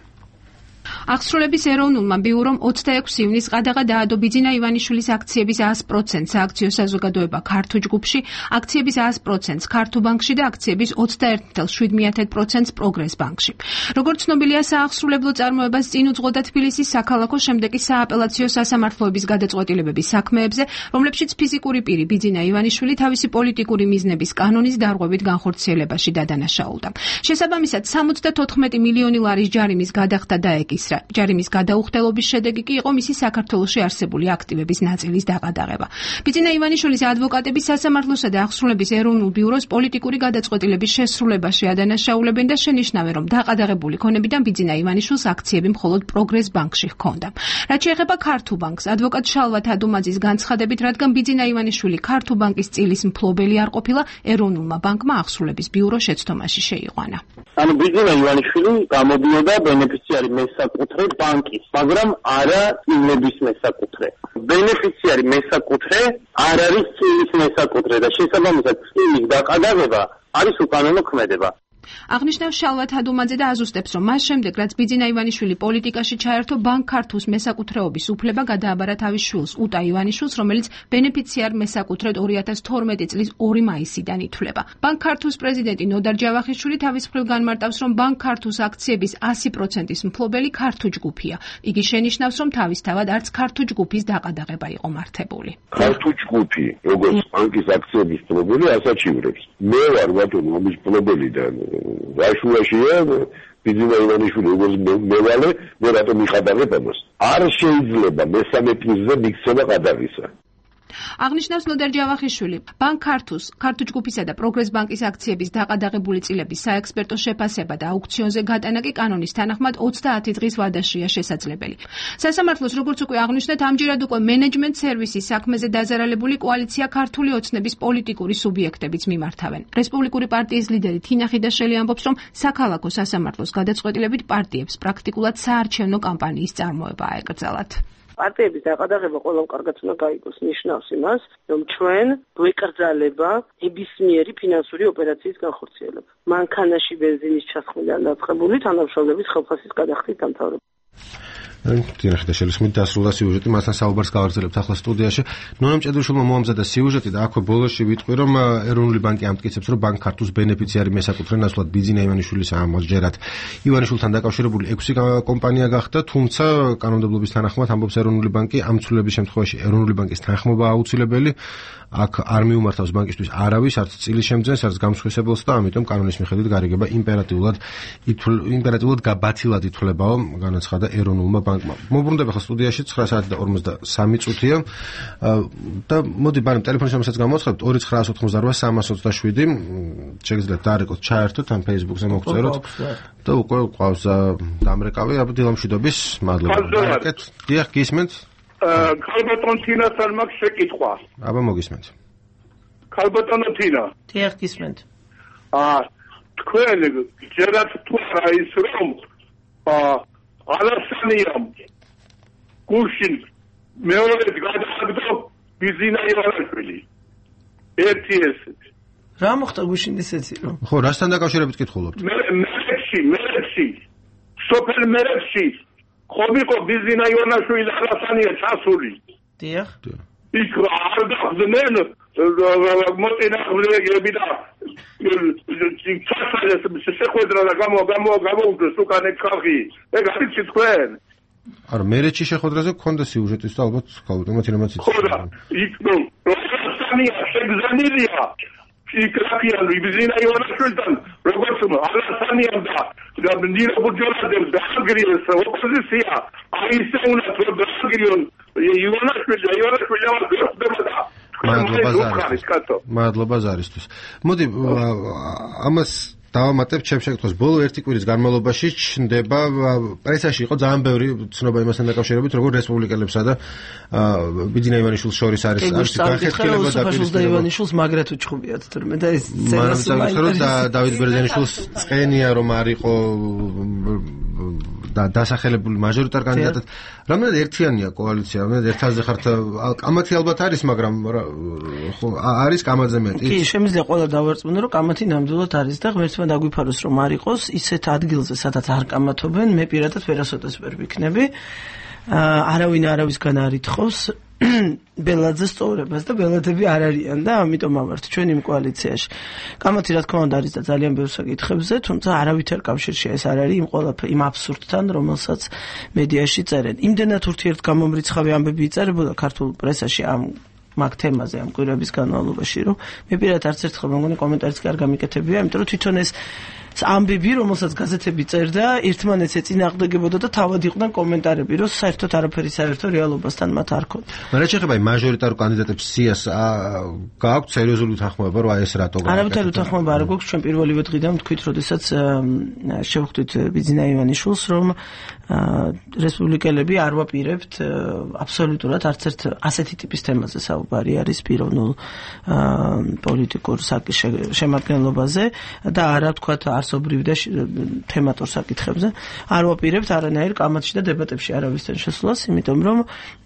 აღსრულების ეროვნულმა ბიურომ ოცდაექვსი ივნისს ყადაღა დაადო ბიძინა ივანიშვილის აქციების sto პროცენტს სააქციო საზოგადოება ქართულ ჯგუფში, აქციების sto პროცენტს ქართულ ბანკში და აქციების ოცდაერთი ათას შვიდ პროცენტს პროგრეს ბანკში. როგორც ცნობილია, საახსრულებლო წარმოებას წინ უძღოდა თბილისის საქალაქო, შემდეგ კი სააპელაციო სასამართლოების გადაწყვეტილებების საქმეებზე, რომლებშიც ფიზიკური პირი ბიძინა ივანიშვილი თავისი პოლიტიკური მიზნების კანონის დარღვევით განხორციელებაში დადანაშაულდა. შესაბამისად, სამოცდათოთხმეტი მილიონი ლარის ჯარიმის გადახდა დაეკისრა. ჯარიმის გადაუხდელობის შედეგი კი იყო მისი საქართველოში არსებული აქტივების ნაწილის დაყადაღება. ბიძინა ივანიშვილის ადვოკატები სასამართლოსა და აღსრულების ეროვნულ ბიუროს პოლიტიკური გადაწყვეტილების შესრულებაში ადანაშაულებენ და შენიშნავენ, რომ დაყადაღებული ქონებიდან ბიძინა ივანიშვილს აქციები მხოლოდ პროგრეს ბანკში ჰქონდა. რაც შეეხება ქართულ ბანკს, ადვოკატ შალვა თადუმაძის განცხადებით, რადგან ბიძინა ივანიშვილი ქართულ ბანკის წილის მფლობელი არ ყოფილა, ეროვნულმა ბანკმა აღსრულების ბიურო შეცდომაში შეიყვანა. ანუ ბიძინა ივანიშვილი გამოდიოდა ბენეფიციარი მესაკუთრე ბანკის, მაგრამ არა წილების მესაკუთრე. ბენეფიციარი მესაკუთრე არ არის წილის მესაკუთრე და შესაბამისად წილის დაყადაღება არის უკანონო ქმედება. აღნიშნავს შალვა თადუმაძე და აზუსტებს, რომ მას შემდეგ, რაც ბიძინა ივანიშვილი პოლიტიკაში ჩაერთო, ბანკ ქართულს მესაკუთრეობის უფლება გადააბარა თავის შვილს, უტა ივანიშვილს, რომელიც ბენეფიციარ მესაკუთრედ ორი ათას თორმეტი წლის ორი მაისიდან ითვლება. ბანკ ქართულს პრეზიდენტი ნოდარ ჯავახიშვილი თავის მხრივ განმარტავს, რომ ბანკ ქართულს აქციების ასი პროცენტის მფლობელი ქართულ ჯგუფია. იგი შენიშნავს, რომ თავისთავად არც ქართულ ჯგუფის დაყადაღება იყო მართებული. ქართულ ჯგუფი, როგორც ბანკის აქციების მფლობელი, ასაჩივრებს. მე ვარ ბატონო ამის მფლობელი და რაშუაშია ბიძინა ივანიშვილი როგორც მევალე, მე რატომ მიყადაღებ ამას? არ შეიძლება მესამე პრიზზე მიქცევა ყადაღისა. აღნიშნავს ნოდარ ჯავახიშვილი, ბანკ ქართულს, ქართულ ჯგუფისა და პროგრეს ბანკის აქციების დაყადაღებული წილების საექსპერტო შეფასება და აუქციონზე გატანა კი კანონის თანახმად ოცდაათი დღის ვადაშია შესაძლებელი. სასამართლოს, როგორც უკვე აღნიშნეთ, ამჯერად უკვე მენეჯმენტ სერვისის საქმეზე დაზარალებული კოალიცია ქართული ოცნების პოლიტიკური სუბიექტებიც მიმართავენ. რესპუბლიკური პარტიის ლიდერი თინა ხიდაშელი ამბობს, რომ საქალაქო სასამართლოს გადაწყვეტილებით პარტიებს პრაქტიკულად საარჩევნო კამპანიის წარმოება აეკრძალათ. პარტიების დაყადაღება ყველამ კარგად უნდა გაიგოს, ნიშნავს იმას, რომ ჩვენ გვეკრძალება ნებისმიერი ფინანსური ოპერაციის განხორციელება. მანქანაში ბენზინის ჩასხმიდან დაწყებული თანამშრომლების ხელფასის გადახდით დამთავრება. დიახ, შელისმით დასრულდა სიუჟეტი, მასთან საუბარს გავაგრძელებთ ახლა სტუდიაში. ნონა მჭედრუშვილმა მოამზადა სიუჟეტი და აქვე ბოლოში ვიტყვი, რომ ეროვნული ბანკი ამტკიცებს, რომ ბანკ ქართულს ბენეფიციარი მესაკუთრე ნაცვლად ბიძინა ივანიშვილის ამოსჯერად ივანიშვილთან დაკავშირებული ექვსი კომპანია გახდა, თუმცა კანონმდებლობის თანახმად ამბობს ეროვნული ბანკი, ამ ცვლილების შემთხვევაში ეროვნული ბანკის თანხმობა აუცილებელი. აქ არ მიუმართავს ბანკისთვის არავის, არც წილის შემძენს, არც გამსხვილებელს და ამიტომ კანონის მიხედვით გარიგება იმპერატიულად იმპერატიულად გაბათილად ითვლებაო, განაცხადა ეროვნულმა ბანკმა. მოbrunდება ხა სტუდიაში ცხრა საათი და ორმოცდასამი წუთია და მოდი ბარემ ტელეფონის რომელსაც გამოაცხადეთ ორი ცხრაას ოთხმოცდაოთხ სამას ოცდაშვიდი შეგიძლიათ დაარეკოთ, ჩაერთოთ ამ Facebook-ზე მოგწეროთ და უკვე ყავს დამრეკავი აბდილამშვიდობის მადლობა. დაარეკეთ. დიახ, გისმენთ? ქალბატონ თინასთან მაქვს შეკითხვა. აბა მოგისმენთ. ქალბატონო თინა. დიახ, გისმენთ. აა თქვენ ჯერათ თუ არა ის რომ აა ალასანიამ გუშინ მეორე გადააგდო ბიზინა ივანიშვილი. ერთი ესეთი. რა მოხდა გუშინ ისეთი რომ? ხო, რასთან დაკავშირებით კითხულობთ? მე მერეში, მერეში. სოფელ მერეში ხომიყო ბიზინა ივანიშვილი ალასანია ჩასული. დიახ. იქ არ გახდნენ მოწინააღმდეგეები და შეხვედრა და გამო გამო გამოუძეს უკან ეგ ხალხი. ეგ არის თქვენ? არა, მერეჩი შეხვედრაზე გქონდა სიუჟეტის და ალბათ ქალბატონმა თინამაც იცი. ხო და იქ ნუ როსტანია შეგზანილია. იქ რაკიან ბიზინა ივანიშვილთან როგორც ალასანიამ და ნირო ბუჯოლადებს და აგრიეს ოპოზიცია აისეუნათ რომ დააგრიონ ივანიშვილი ივანიშვილი ამბობდა მადლობა ზარისთვის. მადლობა ზარისთვის. მოდი ამას დავამატებთ ჩემს შეკითხვას. ბოლო ერთი კვირის განმავლობაში ჩნდება პრესაში იყო ძალიან ბევრი ცნობა იმასთან დაკავშირებით, როგორც რესპუბლიკელებსა და ბიძინა ივანიშვილს შორის არის არის გახეთქილება და პირისპირება ივანიშვილს მაგრად უჩხუბიათ თურმე და ეს ცენას მაინტერესებს და დავით ბერძენიშვილს წყენია რომ არ იყო და დასახელებული მაჟორიტარ კანდიდატად. რამდენად ერთიანია კოალიცია? რამდენად ერთაზე ხართ? კამათი ალბათ არის, მაგრამ ხო არის კამაძე მეტი. კი, შემიძლია ყველა დავარწმუნო, რომ კამათი ნამდვილად არის და ღმერთმა დაგვიფაროს რომ არ იყოს ისეთ ადგილზე, სადაც არ კამათობენ, მე პირადად ვერასოდეს ვერ ვიქნები. არავინ არავისგან არ ითხოვს ბელაძეს სწორებას და ბელადები არ არიან და ამიტომ ამართ ჩვენ იმ კოალიციაში. კამათი რა თქმა უნდა არის და ძალიან ბევრ საკითხებზე, თუმცა არავითარ კავშირში ეს არ არის იმ ყველაფერ იმ აბსურდთან, რომელსაც მედიაში წერენ. იმდენად ურთიერთგამომრიცხავი ამბები იწერებოდა ქართულ პრესაში ამ მაგ თემაზე ამ კვირების განმავლობაში, რომ მე პირადად არც ერთხელ მეგონი კომენტარიც კი არ გამიკეთებია, იმიტომ რომ თვითონ ეს ამბები, რომელსაც გაზეთები წერდა, ერთმანეთს ეწინააღმდეგებოდა და თავად იყვნენ კომენტარები, რომ საერთოდ არაფერი საერთო რეალობასთან მათ არ ქონდა. მაგრამ შეხება იმ მაჟორიტარ კანდიდატებს სიას გააქვთ სერიოზული თანხმობა, რომ აი ეს რატო გააკეთა? არავითარი თანხმობა არ გვაქვს, ჩვენ პირველივე დღიდან ვთქვით, როდესაც შევხვდით ბიძინა ივანიშვილს, რომ რესპუბლიკელები არ ვაპირებთ აბსოლუტურად არც ერთ ასეთი ტიპის თემაზე საუბარი არის პიროვნულ პოლიტიკურ შემადგენლობაზე და არა თქვათ არსობრივ და თემატურ საკითხებზე. არ ვაპირებთ არანაირ კამათში და დებატებში არავისთან შესვლას, იმიტომ რომ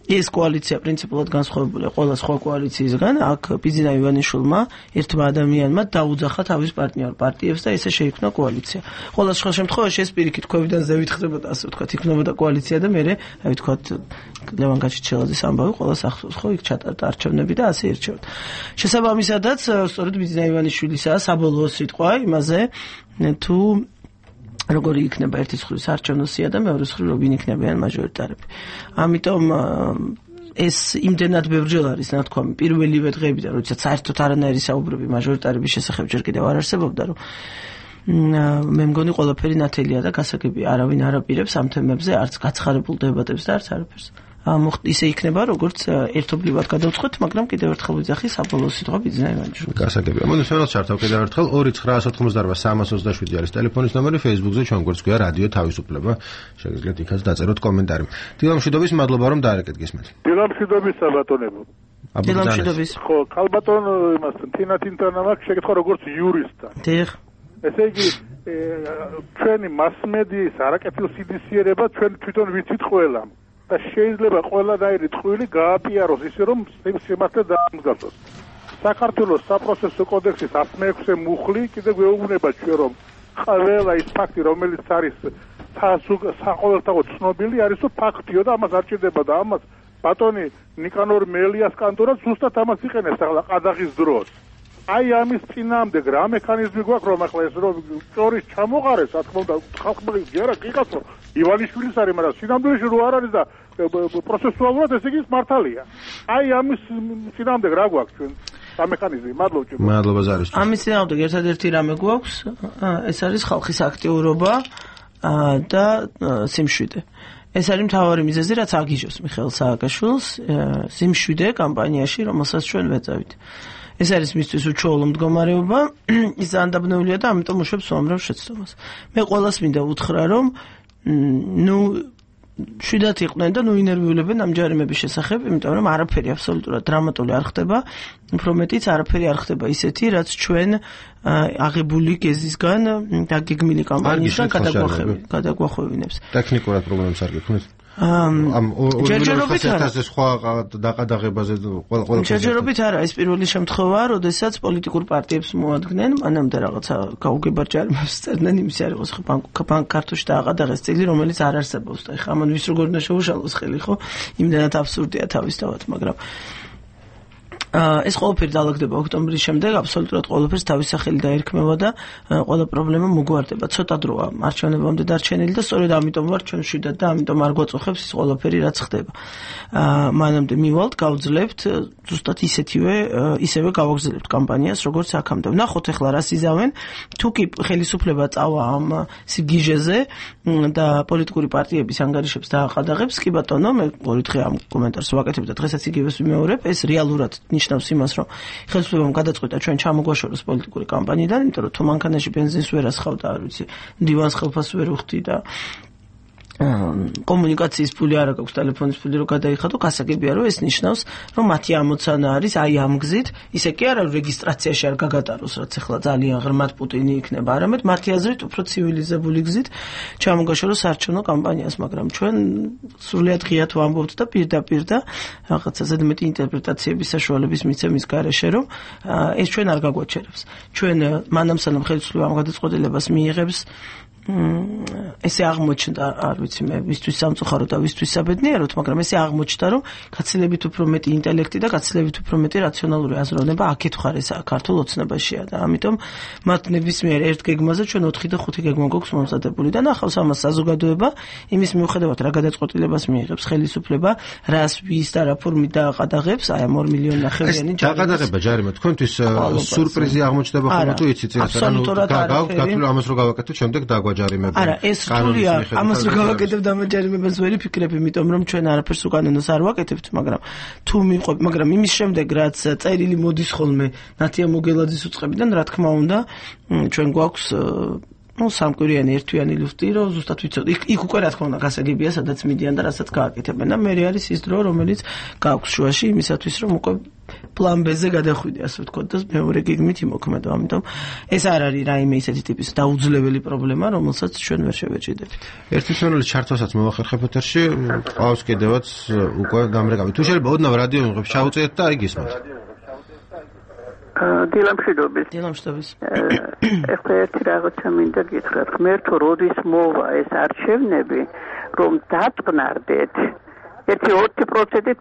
ეს კოალიცია პრინციპულად განსხვავებულია ყველა სხვა კოალიციისგან. აქ ბიძინა ივანიშვილმა ერთმა ადამიანმა დაუძახა თავის პარტნიორ პარტიებს და ესე შეიქმნა კოალიცია. ყველა სხვა შემთხვევაში ეს პირიქით ქვევიდან ზევით ხდებოდა, ასე ვთქვათ, იქნებოდა კოალიცია და მერე, აი ვთქვათ, ლევან გაჩიჩელაძის ამბავი ყველას ახსოვს, ხო, იქ ჩატარდა არჩევნები და ასე ერჩევათ. შესაბამისადაც, სწორედ ბიძინა ივანიშვილისაა საბოლოო სიტყვა იმაზე, თუ როგორი იქნება ერთის მხრივ საარჩევნო სია და მეორეს მხრივ როგორი იქნებიან მაჟორიტარები. ამიტომ ეს იმდენად ბევრჯერ არის ნათქვამი პირველივე დღეებიდან, როდესაც საერთოდ არანაირი საუბრები მაჟორიტარების შესახებ ჯერ კიდევ არ არსებობდა, რომ მე მგონი ყველაფერი ნათელია და გასაგებია, არავინ არ აპირებს ამ თემებზე არც გაცხარებულ დებატებს და არც არაფერს. ისე იქნება, როგორც ერთობლივად გადავწყვეტ, მაგრამ კიდევ ერთხელ ვიძახი საბოლოო სიტყვა ბიძინა ივანიშვილს. გასაგებია. მოდი სვენელს ჩართავ კიდევ ერთხელ ორი ცხრაას ოთხმოცდაოთხ სამას ოცდაშვიდი არის ტელეფონის ნომერი, Facebook-ზე ჩვენ გვერდს გვია რადიო თავისუფლება. შეგიძლიათ იქაც დაწეროთ კომენტარი. დილამშვიდობის, მადლობა რომ დაარეკეთ გისმენთ. დილამშვიდობის საბატონებო. დილამშვიდობის. ხო, ქალბატონ იმასთან თინათინთან მაქვს შეკითხვა როგორც იურისტთან. დიახ. ესე იგი ჩვენი მასმედიის არაკეთილ სიდისიერება ჩვენ თვითონ ვიცით ყველა. და შეიძლება ყველანაირი ტყვილი გააპიაროს ისე რომ სიმართლე დაამსგავსოს. საქართველოს საპროცესო კოდექსის ათმეექვსე მუხლი კიდე გვეუბნება ჩვენ რომ ყველა ის ფაქტი რომელიც არის საყოველთაოდ ცნობილი არის, რომ ფაქტიო და ამას არ ჭირდება და ამას ბატონი ნიკანორ მელიას კანტორა ზუსტად ამას იყენებს ახლა ყადაღის დროს. აი ამის წინამდე რა მექანიზმი გვაქვს რომ ახლა ეს რომ ჭორის ჩამოყარეს, რა თქმა უნდა, ხალხმა გერა გიკაცო ივანიშვილის არის, მაგრამ სინამდვილეში რო არ არის და პროცესუალურად ეს იგი მართალია. აი ამის წინამდე რა გვაქვს ჩვენ? რა მექანიზმი? მადლობა. მადლობა ზარის. ამის წინამდე ერთადერთი რამე გვაქვს, ეს არის ხალხის აქტიურობა და სიმშვიდე. ეს არის მთავარი მიზეზი, რაც აგიჟოს მიხეილ სააკაშვილს სიმშვიდე კამპანიაში, რომელსაც ჩვენ ვეწევით. ეს არის მისთვის უჩვეულო მდგომარეობა, ის ანდაბნეულია და ამიტომ უშვებს უამრავ შეცდომას. მე ყველას მინდა უთხრა, რომ ნუ შვიდათ იყვნენ და ნუ ინერვიულებენ ამ ჯარიმების შესახებ, იმიტომ რომ არაფერი აბსოლუტურად დრამატული არ ხდება, უფრო მეტიც არაფერი არ ხდება ისეთი, რაც ჩვენ აღებული გეზისგან დაგეგმილი კამპანიისგან გადაგვახვევინებს. ტექნიკურად პრობლემებს არ გექნით? ამ ჯერჯერობით არა. სხვა დაყადაღებაზე ყველა ჯერჯერობით არა, ეს პირველი შემთხვევაა, როდესაც პოლიტიკურ პარტიებს მოადგენენ, მანამდე რაღაცა გაუგებარ ჯარიმებს წერდნენ, იმის არ იყოს ხო ბანკ კარტოში დააყადაღეს წილი, რომელიც არ არსებობს და ეხლა ამან ვის როგორ უნდა შეუშალოს ხელი, ხო? იმდანაც აბსურდია თავისთავად, მაგრამ ეს ყველაფერი დაალაგდება ოქტომბრის შემდეგ, აბსოლუტურად ყველაფერს თავის სახელი დაერქმევა და ყველა პრობლემა მოგვარდება. ცოტა დროა არჩევნებამდე დარჩენილი და სწორედ ამიტომ ვარ ჩვენ შვიდად და ამიტომ არ გვაწუხებს ის ყველაფერი რაც ხდება. მანამდე მივალთ, გავძლებთ, ზუსტად ისეთივე, ისევე გავაგზავნებთ კამპანიას, როგორც აქამდე. ნახოთ ახლა რა სიზავენ, თუ კი ხელისუფლება წავა ამ სიგიჟეზე და პოლიტიკური პარტიების ანგარიშებს დააყადაღებს, კი ბატონო, მე ორი დღე ამ კომენტარს ვაკეთებ და დღესაც იგივეს ვიმეორებ, ეს რეალურად ნიშნავს იმას, რომ ხელისუფლებამ გადაწყვიტა ჩვენ ჩამოგვაშოროს პოლიტიკური კამპანიიდან, იმიტომ რომ თუ მანქანაში ბენზინს ვერ ასხავდა, არ ვიცი, დივანს ხელფას ვერ უხდი და კომუნიკაციის ფული არ აქვს, ტელეფონის ფული რო გადაიხადო, გასაგებია რომ ეს ნიშნავს, რომ მათი ამოცანა არის აი ამ გზით, ისე კი არა რეგისტრაციაში არ გაგატაროს, რაც ახლა ძალიან ღრმად პუტინი იქნება, არამედ მათი აზრით უფრო ცივილიზებული გზით ჩამოგაშოროს არჩევნო კამპანიას, მაგრამ ჩვენ სრულიად ღიად ვამბობთ და პირდაპირ და რაღაცა ზედმეტი ინტერპრეტაციების საშუალების მიცემის გარეშე, რომ ეს ჩვენ არ გაგვაჩერებს. ჩვენ მანამ სანამ ხელისუფლებამ გადაწყვეტილებას მიიღებს ესე აღმოჩნდა, არ ვიცი მე, ვისთვის სამწუხაროდ და ვისთვის საბედნიეროდ, მაგრამ ესე აღმოჩნდა, რომ გაცილებით უფრო მეტი ინტელექტი და გაცილებით უფრო მეტი რაციონალური აზროვნება აქეთ ხარეს ქართულ ოცნებაშია და ამიტომ მათ ნებისმიერ ერთ გეგმაზე ჩვენ ოთხი და ხუთი გეგმა გვაქვს მომზადებული და ნახავს ამას საზოგადოება იმის მიუხედავად რა გადაწყვეტილებას მიიღებს ხელისუფლება, რას ვის და რა ფორმით დააყადაღებს, აი ამ ორ მილიონი ნახევრიანი ჯარიმი. დააყადაღება ჯარიმა თქვენთვის სურპრიზი აღმოჩნდება ხოლმე თუ იცით ეს ანუ გავგავთ ამას რო გავაკეთოთ შემდეგ დაგვა არა, ეს სრულია, ამას რო გავაკეთებ და ამაჯარიმებას ვერ ვიფიქრებ, იმიტომ რომ ჩვენ არაფერს უკანონოს არ ვაკეთებთ, მაგრამ თუ მიყვებ, მაგრამ იმის შემდეგ რაც წერილი მოდის ხოლმე ნათია მოგელაძის უწყებიდან, რა თქმა უნდა, ჩვენ გვაქვს ну სამკვირიანი ერთვიანი ლუსტი რომ ზუსტად ვიცოდი იქ უკვე რა თქმა უნდა გასაგებია სადაც მიდიან და რასაც გააკეთებენ და მე არის ის დრო რომელიც გაქვს შუაში იმისათვის რომ უკვე პლან ბ-ზე გადახვიდე ასე ვთქვათ და მეორე გეგმით იმოქმედო ამიტომ ეს არ არის რაიმე ისეთი ტიპის დაუძლეველი პრობლემა რომელსაც ჩვენ ვერ შევეჭიდებით ერთი ჩვენელი ჩართვასაც მოვახერხებ ეთერში ყავს კიდევაც უკვე გამრეკავი თუ შეიძლება ოდნავ რადიო მიღებს ჩაუწიეთ და აი გისმენთ დილამშვიდობის. დილამშვიდობის. ეხლა ერთი რაღაცა მინდა გითხრათ. ღმერთო, როდის მოვა ეს არჩევნები, რომ დატყნარდეთ ერთი ოცი პროცენტით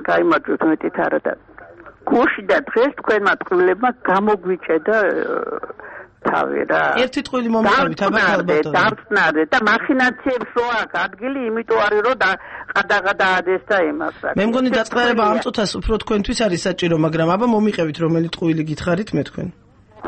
გაიმარჯვეთ მეტით არა და გუში და დღეს თქვენმა ტყუილებმა გამოგვიჭედა თავი რა. ერთი ტყუილი მომიყევით აბა დარწნარდეთ და მახინაციებს რო აქვს ადგილი, იმიტომ არის რომ ყადაღა დაადეს და იმას. მე მგონი დაწყნარება ამ წუთას უფრო თქვენთვის არის საჭირო, მაგრამ აბა მომიყევით რომელი ტყუილი გითხარით მე თქვენ.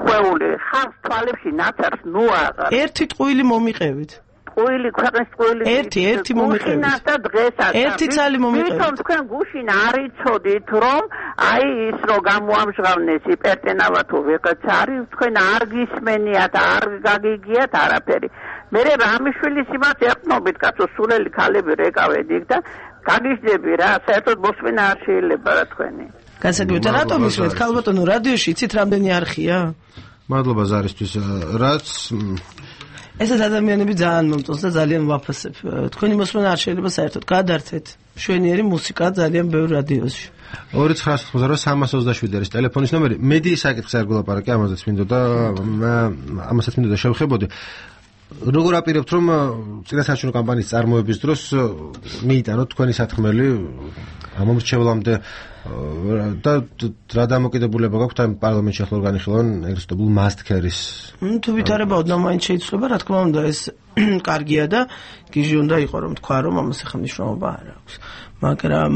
ხვეული ხარს თვალებში ნაცარს ნუ აღარ. ერთი ტყუილი მომიყევით. ტყუილი ქვეყნის ტყუილი ერთი ერთი მომიყევით და დღესაც ერთი ცალი მომიყევით თვითონ თქვენ გუშინ არ იცოდით რომ აი ის რო გამოამჟღავნეს იპერტენავა თუ ვიღაც არის თქვენ არ გისმენიათ არ გაგიგიათ არაფერი მე რამიშვილის იმას ეყნობით კაცო სულელი ქალები რეკავენ იქ და გაგიჟდები რა საერთოდ მოსმენა არ შეიძლება რა თქვენი გასაგებია რატომ ისვეთ ქალბატონო რადიოში იცით რამდენი არხია მადლობა ზარისთვის რაც ეს ადამიანები ძალიან მომწონს და ძალიან ვაფასებ. თქვენი მოსმენა არ შეიძლება საერთოდ გადართეთ. მშვენიერი მუსიკა ძალიან ბევრ რადიოში. ორი ცხრაასი ოცდაოთხი სამას ოცდაშვიდი არის ტელეფონის ნომერი. მედი საკითხს არ გულაპარაკე, ამაზეც მინდოდა ამასაც მინდოდა შევხებოდი. როგორ აპირებთ რომ წინასაარჩევნო კამპანიის წარმოების დროს მიიტანოთ თქვენი სათქმელი ამ მომრჩევლამდე და რა დამოკიდებულება გაქვთ ამ პარლამენტში ახლა განიხილონ ეგრეთ წოდებულ მასტქერის თუ ვითარებაოდ მაინც შეიძლება რა თქმა უნდა ეს კარგია და გიჟი უნდა იყო რომ თქვა რომ ამას ახლა მნიშვნელობა არ აქვს მაგრამ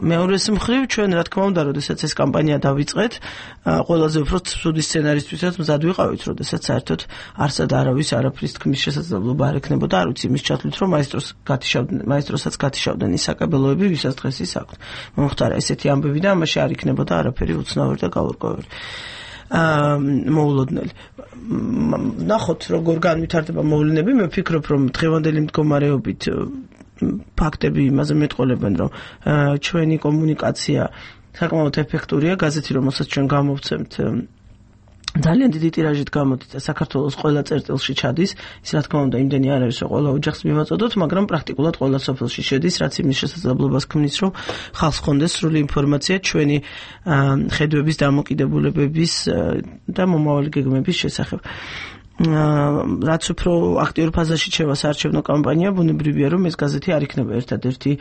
მეორეს მხრივ ჩვენ რა თქმა უნდა როდესაც ეს კამპანია დავიწყეთ ყველაზე უფრო ცუდი სცენარისთვისაც მზად ვიყავით როდესაც საერთოდ არსად არავის არაფრის თქმის შესაძლებლობა არ ექნებოდა არ ვიცი იმის ჩათვლით რომ მაესტროს გათიშავდნენ მაესტროსაც გათიშავდნენ ის საკაბელოები ვისაც დღეს ის აქვთ მომხდარა ესეთი ამბები და ამაში არ იქნებოდა არაფერი უცნაური და გაურკვეველი აა მოულოდნელი ნახოთ როგორ განვითარდება მოვლენები მე ვფიქრობ რომ დღევანდელი მდგომარეობით ფაქტები იმაზე მეტყოლებენ რომ ჩვენი კომუნიკაცია საკმაოდ ეფექტურია გაზეთი რომელსაც ჩვენ გამოვცემთ ძალიან დიდი ტირაჟით გამოდით საქართველოს ყველა წერტილში ჩადის ის რა თქმა უნდა იმდენი არ არის რომ ყველა ოჯახს მივაწოდოთ მაგრამ პრაქტიკულად ყველა სოფელში შედის რაც იმის შესაძლებლობას ქმნის რომ ხალხს ხონდეს სრული ინფორმაცია ჩვენი ხედვების დამოკიდებულებების და მომავალი გეგმების შესახებ რაც უფრო აქტიურ ფაზაში შევა საარჩევნო კამპანია ბუნებრივია რომ ეს გაზეთი არ იქნება ერთადერთი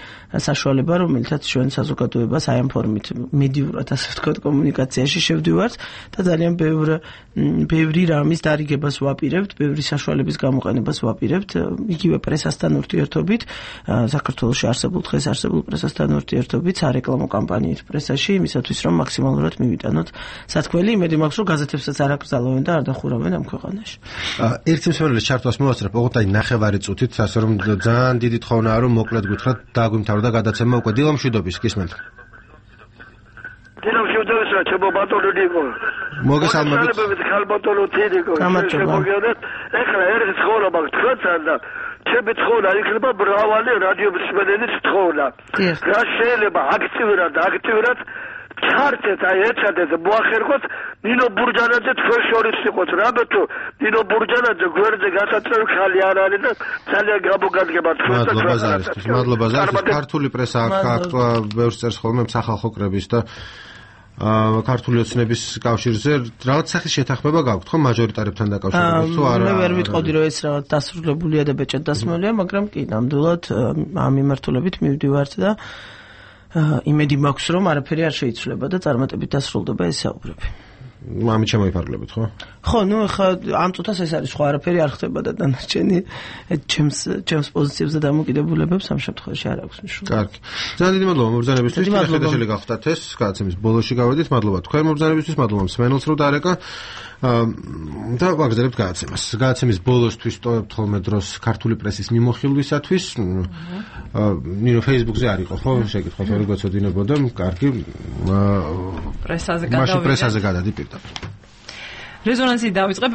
საშუალება რომელთაც ჩვენ საზოგადოებას აი ამ ფორმით მედიურად ასე ვთქვათ კომუნიკაციაში შევდივართ და ძალიან ბევრ ბევრი რამის დარიგებას ვაპირებთ ბევრი საშუალების გამოყენებას ვაპირებთ იგივე პრესასთან ურთიერთობით საქართველოში არსებულ დღეს არსებულ პრესასთან ურთიერთობით სარეკლამო კამპანიით პრესაში იმისათვის რომ მაქსიმალურად მივიტანოთ სათქმელი იმედი მაქვს რომ გაზეთებსაც არ აკრძალავენ და არ დახურავენ ამ ქვეყანაში ერთი მსმენელის ჩართვას მოვაცრებ, ოღონდ აი ნახევარი წუთით, ასე რომ ძალიან დიდი თხოვნაა რომ მოკლედ გითხრათ დაგვიმთავრდა გადაცემა უკვე დილა მშვიდობის გისმენთ. დილა მშვიდობის რა ჩემო ბატონო ნიკო. მოგესალმებით. ხალბატონო თედიკო. შეგოგიოდეთ, ეხლა ერთ ცხოვრება თქვენთან და ჩემი ცხოვრება იქნება ბრავალი რადიო მსმენელის ცხოვრება. რა შეიძლება აქტიურად აქტიურად ჩართეთ აი ეცადეთ მოახერხოთ ნინო ბურჯანაძე თქვენ შორის იყოთ რამე თუ ნინო ბურჯანაძე გვერდზე გასაწევი ხალი არ არის და ძალიან გამოგადგება თქვენ და მადლობა ზარისთვის მადლობა ზარისთვის ქართული პრესა აქ ბევრს წერს ხოლმე სახალხო კრების და ქართული ოცნების კავშირზე რაღაც სახის შეთანხმება გაქვთ ხო მაჟორიტარებთან დაკავშირებით თუ არა მე ვერ ვიტყოდი რომ ეს რაღაც დასრულებულია და ბეჭად დასმულია მაგრამ კი ნამდვილად ამ მიმართულებით მივდივართ და იმედი მაქვს რომ არაფერი არ შეიცვლება და წარმატებით დასრულდება ეს საუბრები. მამი შემოიფარგლებით ხო? ხო, ნუ ხა ამ წუთას ეს არის ხო არაფერი არ ხდება და დანარჩენი ჩემს ჩემს პოზიციებზე დამოკიდებულებებს ამ შემთხვევაში არ აქვს მნიშვნელობა. კარგი. ძალიან დიდი მადლობა მობრძანებისთვის. ეხლა შეიძლება გახდათ ეს გადაცემის ბოლოში გავედით. მადლობა თქვენ მობრძანებისთვის, მადლობა მსმენელს რომ დაარეკა. და ვაგრძელებთ გადაცემას. გადაცემის ბოლოსთვის ტოვებთ ხოლმე დროს ქართული პრესის მიმოხილვისათვის. ნინო Facebook-ზე არ იყო ხო? შეკითხვა რომ გაწოდინებოდა. კარგი. პრესაზე გადავიდეთ. მაშინ პრესაზე გადადი პირდაპირ. რეზონანსი დავიწყებ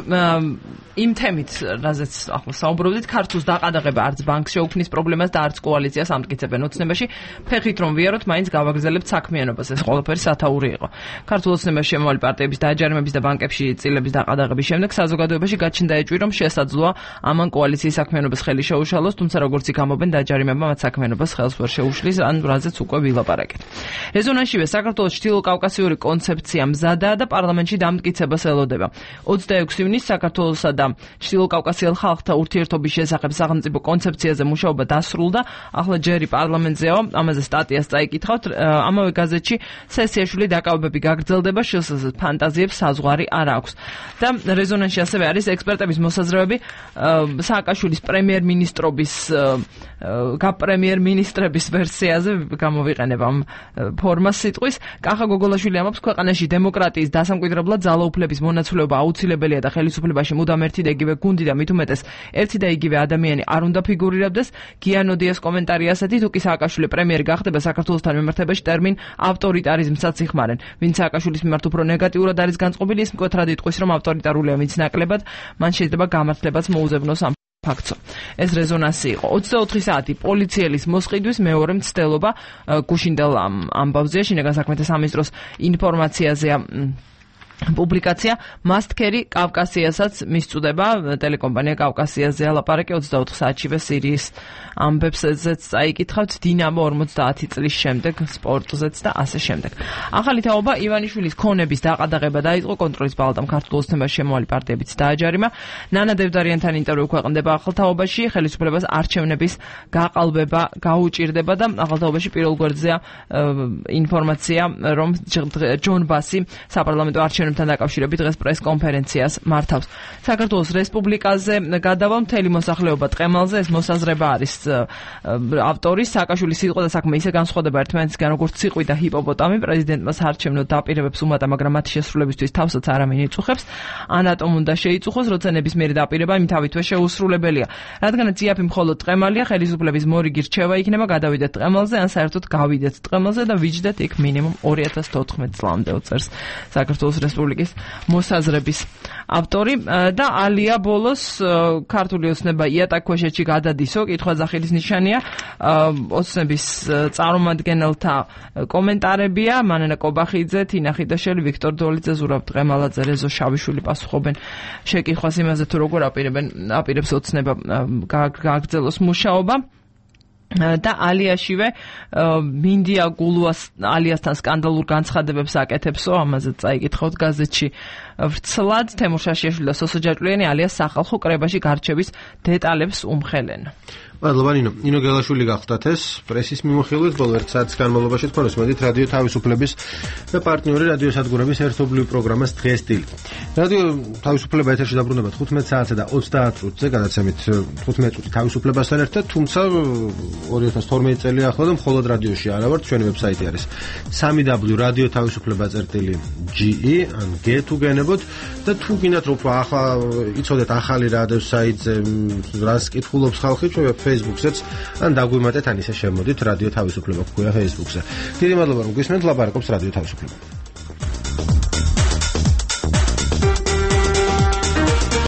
იმ თემით, რაზეც ახლა საუბრობდით, ქართულს დაყადაღება არც ბანკს შეუქმნის პრობლემას და არც კოალიციას ამტკიცებენ ოცნებაში. ფეხით რომ ვიაროთ, მაინც გავაგრძელებთ საქმიანობას. ეს ყველაფერი სათაური იყო. ქართულ ოცნებაში შემავალი პარტიების დააჯარიმების და ბანკებში წილების დაყადაღების შემდეგ საზოგადოებაში გაჩნდა ეჭვი, რომ შესაძლოა ამან კოალიციის საქმიანობას ხელი შეუშალოს, თუმცა როგორც იქ ამობენ დააჯარიმება მათ საქმიანობას ხელს ვერ შეუშლის, ან რაზეც უკვე ვილაპარაკეთ. რეზონანსშივე საქართველოს ჩრდილოკავკასიური კონცეფცია მზადაა და პარლამენტში დამტკიცებას ელოდება. ოცდაექვსი ივნისს საქართველოსა და ჩრდილოკავკასიელ ხალხთა ურთიერთობის შესახებ სახელმწიფო კონცეფციაზე მუშაობა დასრულდა. ახლა ჯერი პარლამენტზეო, ამაზე სტატიას წაიკითხავთ. ამავე გაზეთში სესიაშვილი დაკავებები გაგრძელდება, შესაძლოა ფანტაზიებს საზღვარი არ აქვს. და რეზონანსში ასევე არის ექსპერტების მოსაზრებები სააკაშვილის პრემიერ-მინისტრობის გაპრემიერ-მინისტრების ვერსიაზე გამოვიყენებ ამ ფორმას სიტყვის. კახა გოგოლაშვილი ამბობს, ქვეყანაში დემოკრატიის დასამკვიდრებლად ძალაუფლების მონაცვლეობა აუცილებელია და ხელისუფლებაში მუდამ ერთი და იგივე გუნდი და მით უმეტეს ერთი და იგივე ადამიანი არ უნდა ფიგურირებდეს. გიანოდიას კომენტარი ასეთი, თუ კი სააკაშვილი პრემიერი გახდება საქართველოსთან მიმართებაში ტერმინ ავტორიტარიზმსაც იხმარენ. ვინც სააკაშვილის მიმართ უფრო ნეგატიურად არის განწყობილი, ის მკვეთრად იტყვის, რომ ავტორიტარულია მის ნაკლებად, მან შეიძლება გამართლებაც მოუზებნოს ამ ფაქტს. ეს რეზონანსი იყო. ოცდაოთხი საათი პოლიციელის მოსყიდვის მეორე მცდელობა გუშინდელ ამბავზეა, შინაგან საქმეთა სამინისტროს ინფორმაციაზეა პუბლიკაცია მასტკერი კავკასიასაც მისწუდება ტელეკომპანია კავკასიაზე ალაპარაკი ოცდაოთხ საათშივე სირიის ამბებსაც წაიკითხავთ დინამო ორმოცდაათი წლის შემდეგ სპორტზეც და ასე შემდეგ. ახალი თაობა ივანიშვილის ქონების დაყადაღება დაიწყო კონტროლის პალატამ ქართულ ოცნებას შემოალი პარტიებიც დააჯარიმა. ნანა დევდარიანთან ინტერვიუ ქვეყნდება ახალ თაობაში ხელისუფლებას არჩევნების გაყალბება გაუჭირდება და ახალ თაობაში პირველ გვერდზეა ინფორმაცია რომ ჯონ ბასი საპარლამენტო არჩევნებთან დაკავშირებით დღეს პრეს-კონფერენციას მართავს. საქართველოს რესპუბლიკაზე გადავალ მთელი მოსახლეობა ტყემალზე ეს მოსაზრება არის ავტორის სააკაშვილის სიტყვა და საქმე ისე განსხვავდება ერთმანეთისგან როგორც ციყვი და ჰიპოპოტამი პრეზიდენტმა საარჩევნო დაპირებებს უმატა მაგრამ მათი შესრულებისთვის თავსაც არავინ იწუხებს ანატომ უნდა შეიწუხოს როცა ნებისმიერი დაპირება იმ თავითვე შეუსრულებელია რადგანაც იაფი მხოლოდ ტყემალია ხელისუფლების მორიგი რჩევა იქნება გადავიდეთ ტყემალზე ან საერთოდ გავიდეთ ტყემალზე და ვიჯდეთ იქ მინიმუმ ორი ათას თოთხმეტ წლამდე უწერს საქართველოს რესპუბლიკის მოსაზრების ავტორი და ალია ბოლოს ქართული ოცნება იატაკქვეშეთში გადადისო კითხვა ზახილის ნიშანია ოცნების წარმომადგენელთა კომენტარებია მანენა კობახიძე თინა ხიდაშელი ვიქტორ დოლიძე ზურაბ ტყემალაძე რეზო შავიშვილი პასუხობენ შეკითხვას იმაზე თუ როგორ აპირებენ აპირებს ოცნება გააგრძელოს მუშაობა და ალიაშივე მინდია გულუას ალიასთან სკანდალურ განცხადებებს აკეთებსო ამაზე წაიკითხავთ გაზეთში ვრცლად თემურ შაშიაშვილი და სოსო ჯაჭვლიანი ალიას სახალხო კრებაში გარჩევის დეტალებს უმხელენ. მადლობა ნინო. ნინო გელაშვილი გახდათ ეს პრესის მიმოხილვით ბოლო ერთ საათის განმავლობაში თქვენ უსმენთ რადიო თავისუფლების და პარტნიორი რადიო სადგურების ერთობლივი პროგრამას დღეს დილით. რადიო თავისუფლება ეთერში დაბრუნდება თხუთმეტ საათსა და ოცდაათ წუთზე გადაცემით თხუთმეტ წუთი თავისუფლებასთან ერთად, თუმცა ორი ათას თორმეტი წელი ახლა და მხოლოდ რადიოში არა ვართ, ჩვენი ვებსაიტი არის სამი დაბლიუ რადიო თავისუფლება წერტილი ჯი ი ან გე თუ გენებოთ და თუ გინდათ რომ ახლა იცოდეთ ახალი რადიო საიტზე რას კითხულობს ხალხი ჩვენ Facebook-ზეც ან დაგვიმატეთ ან ისე შემოდით რადიო თავისუფლება გვქვია Facebook-ზე. დიდი მადლობა რომ გვისმენთ, ლაპარაკობს რადიო თავისუფლება.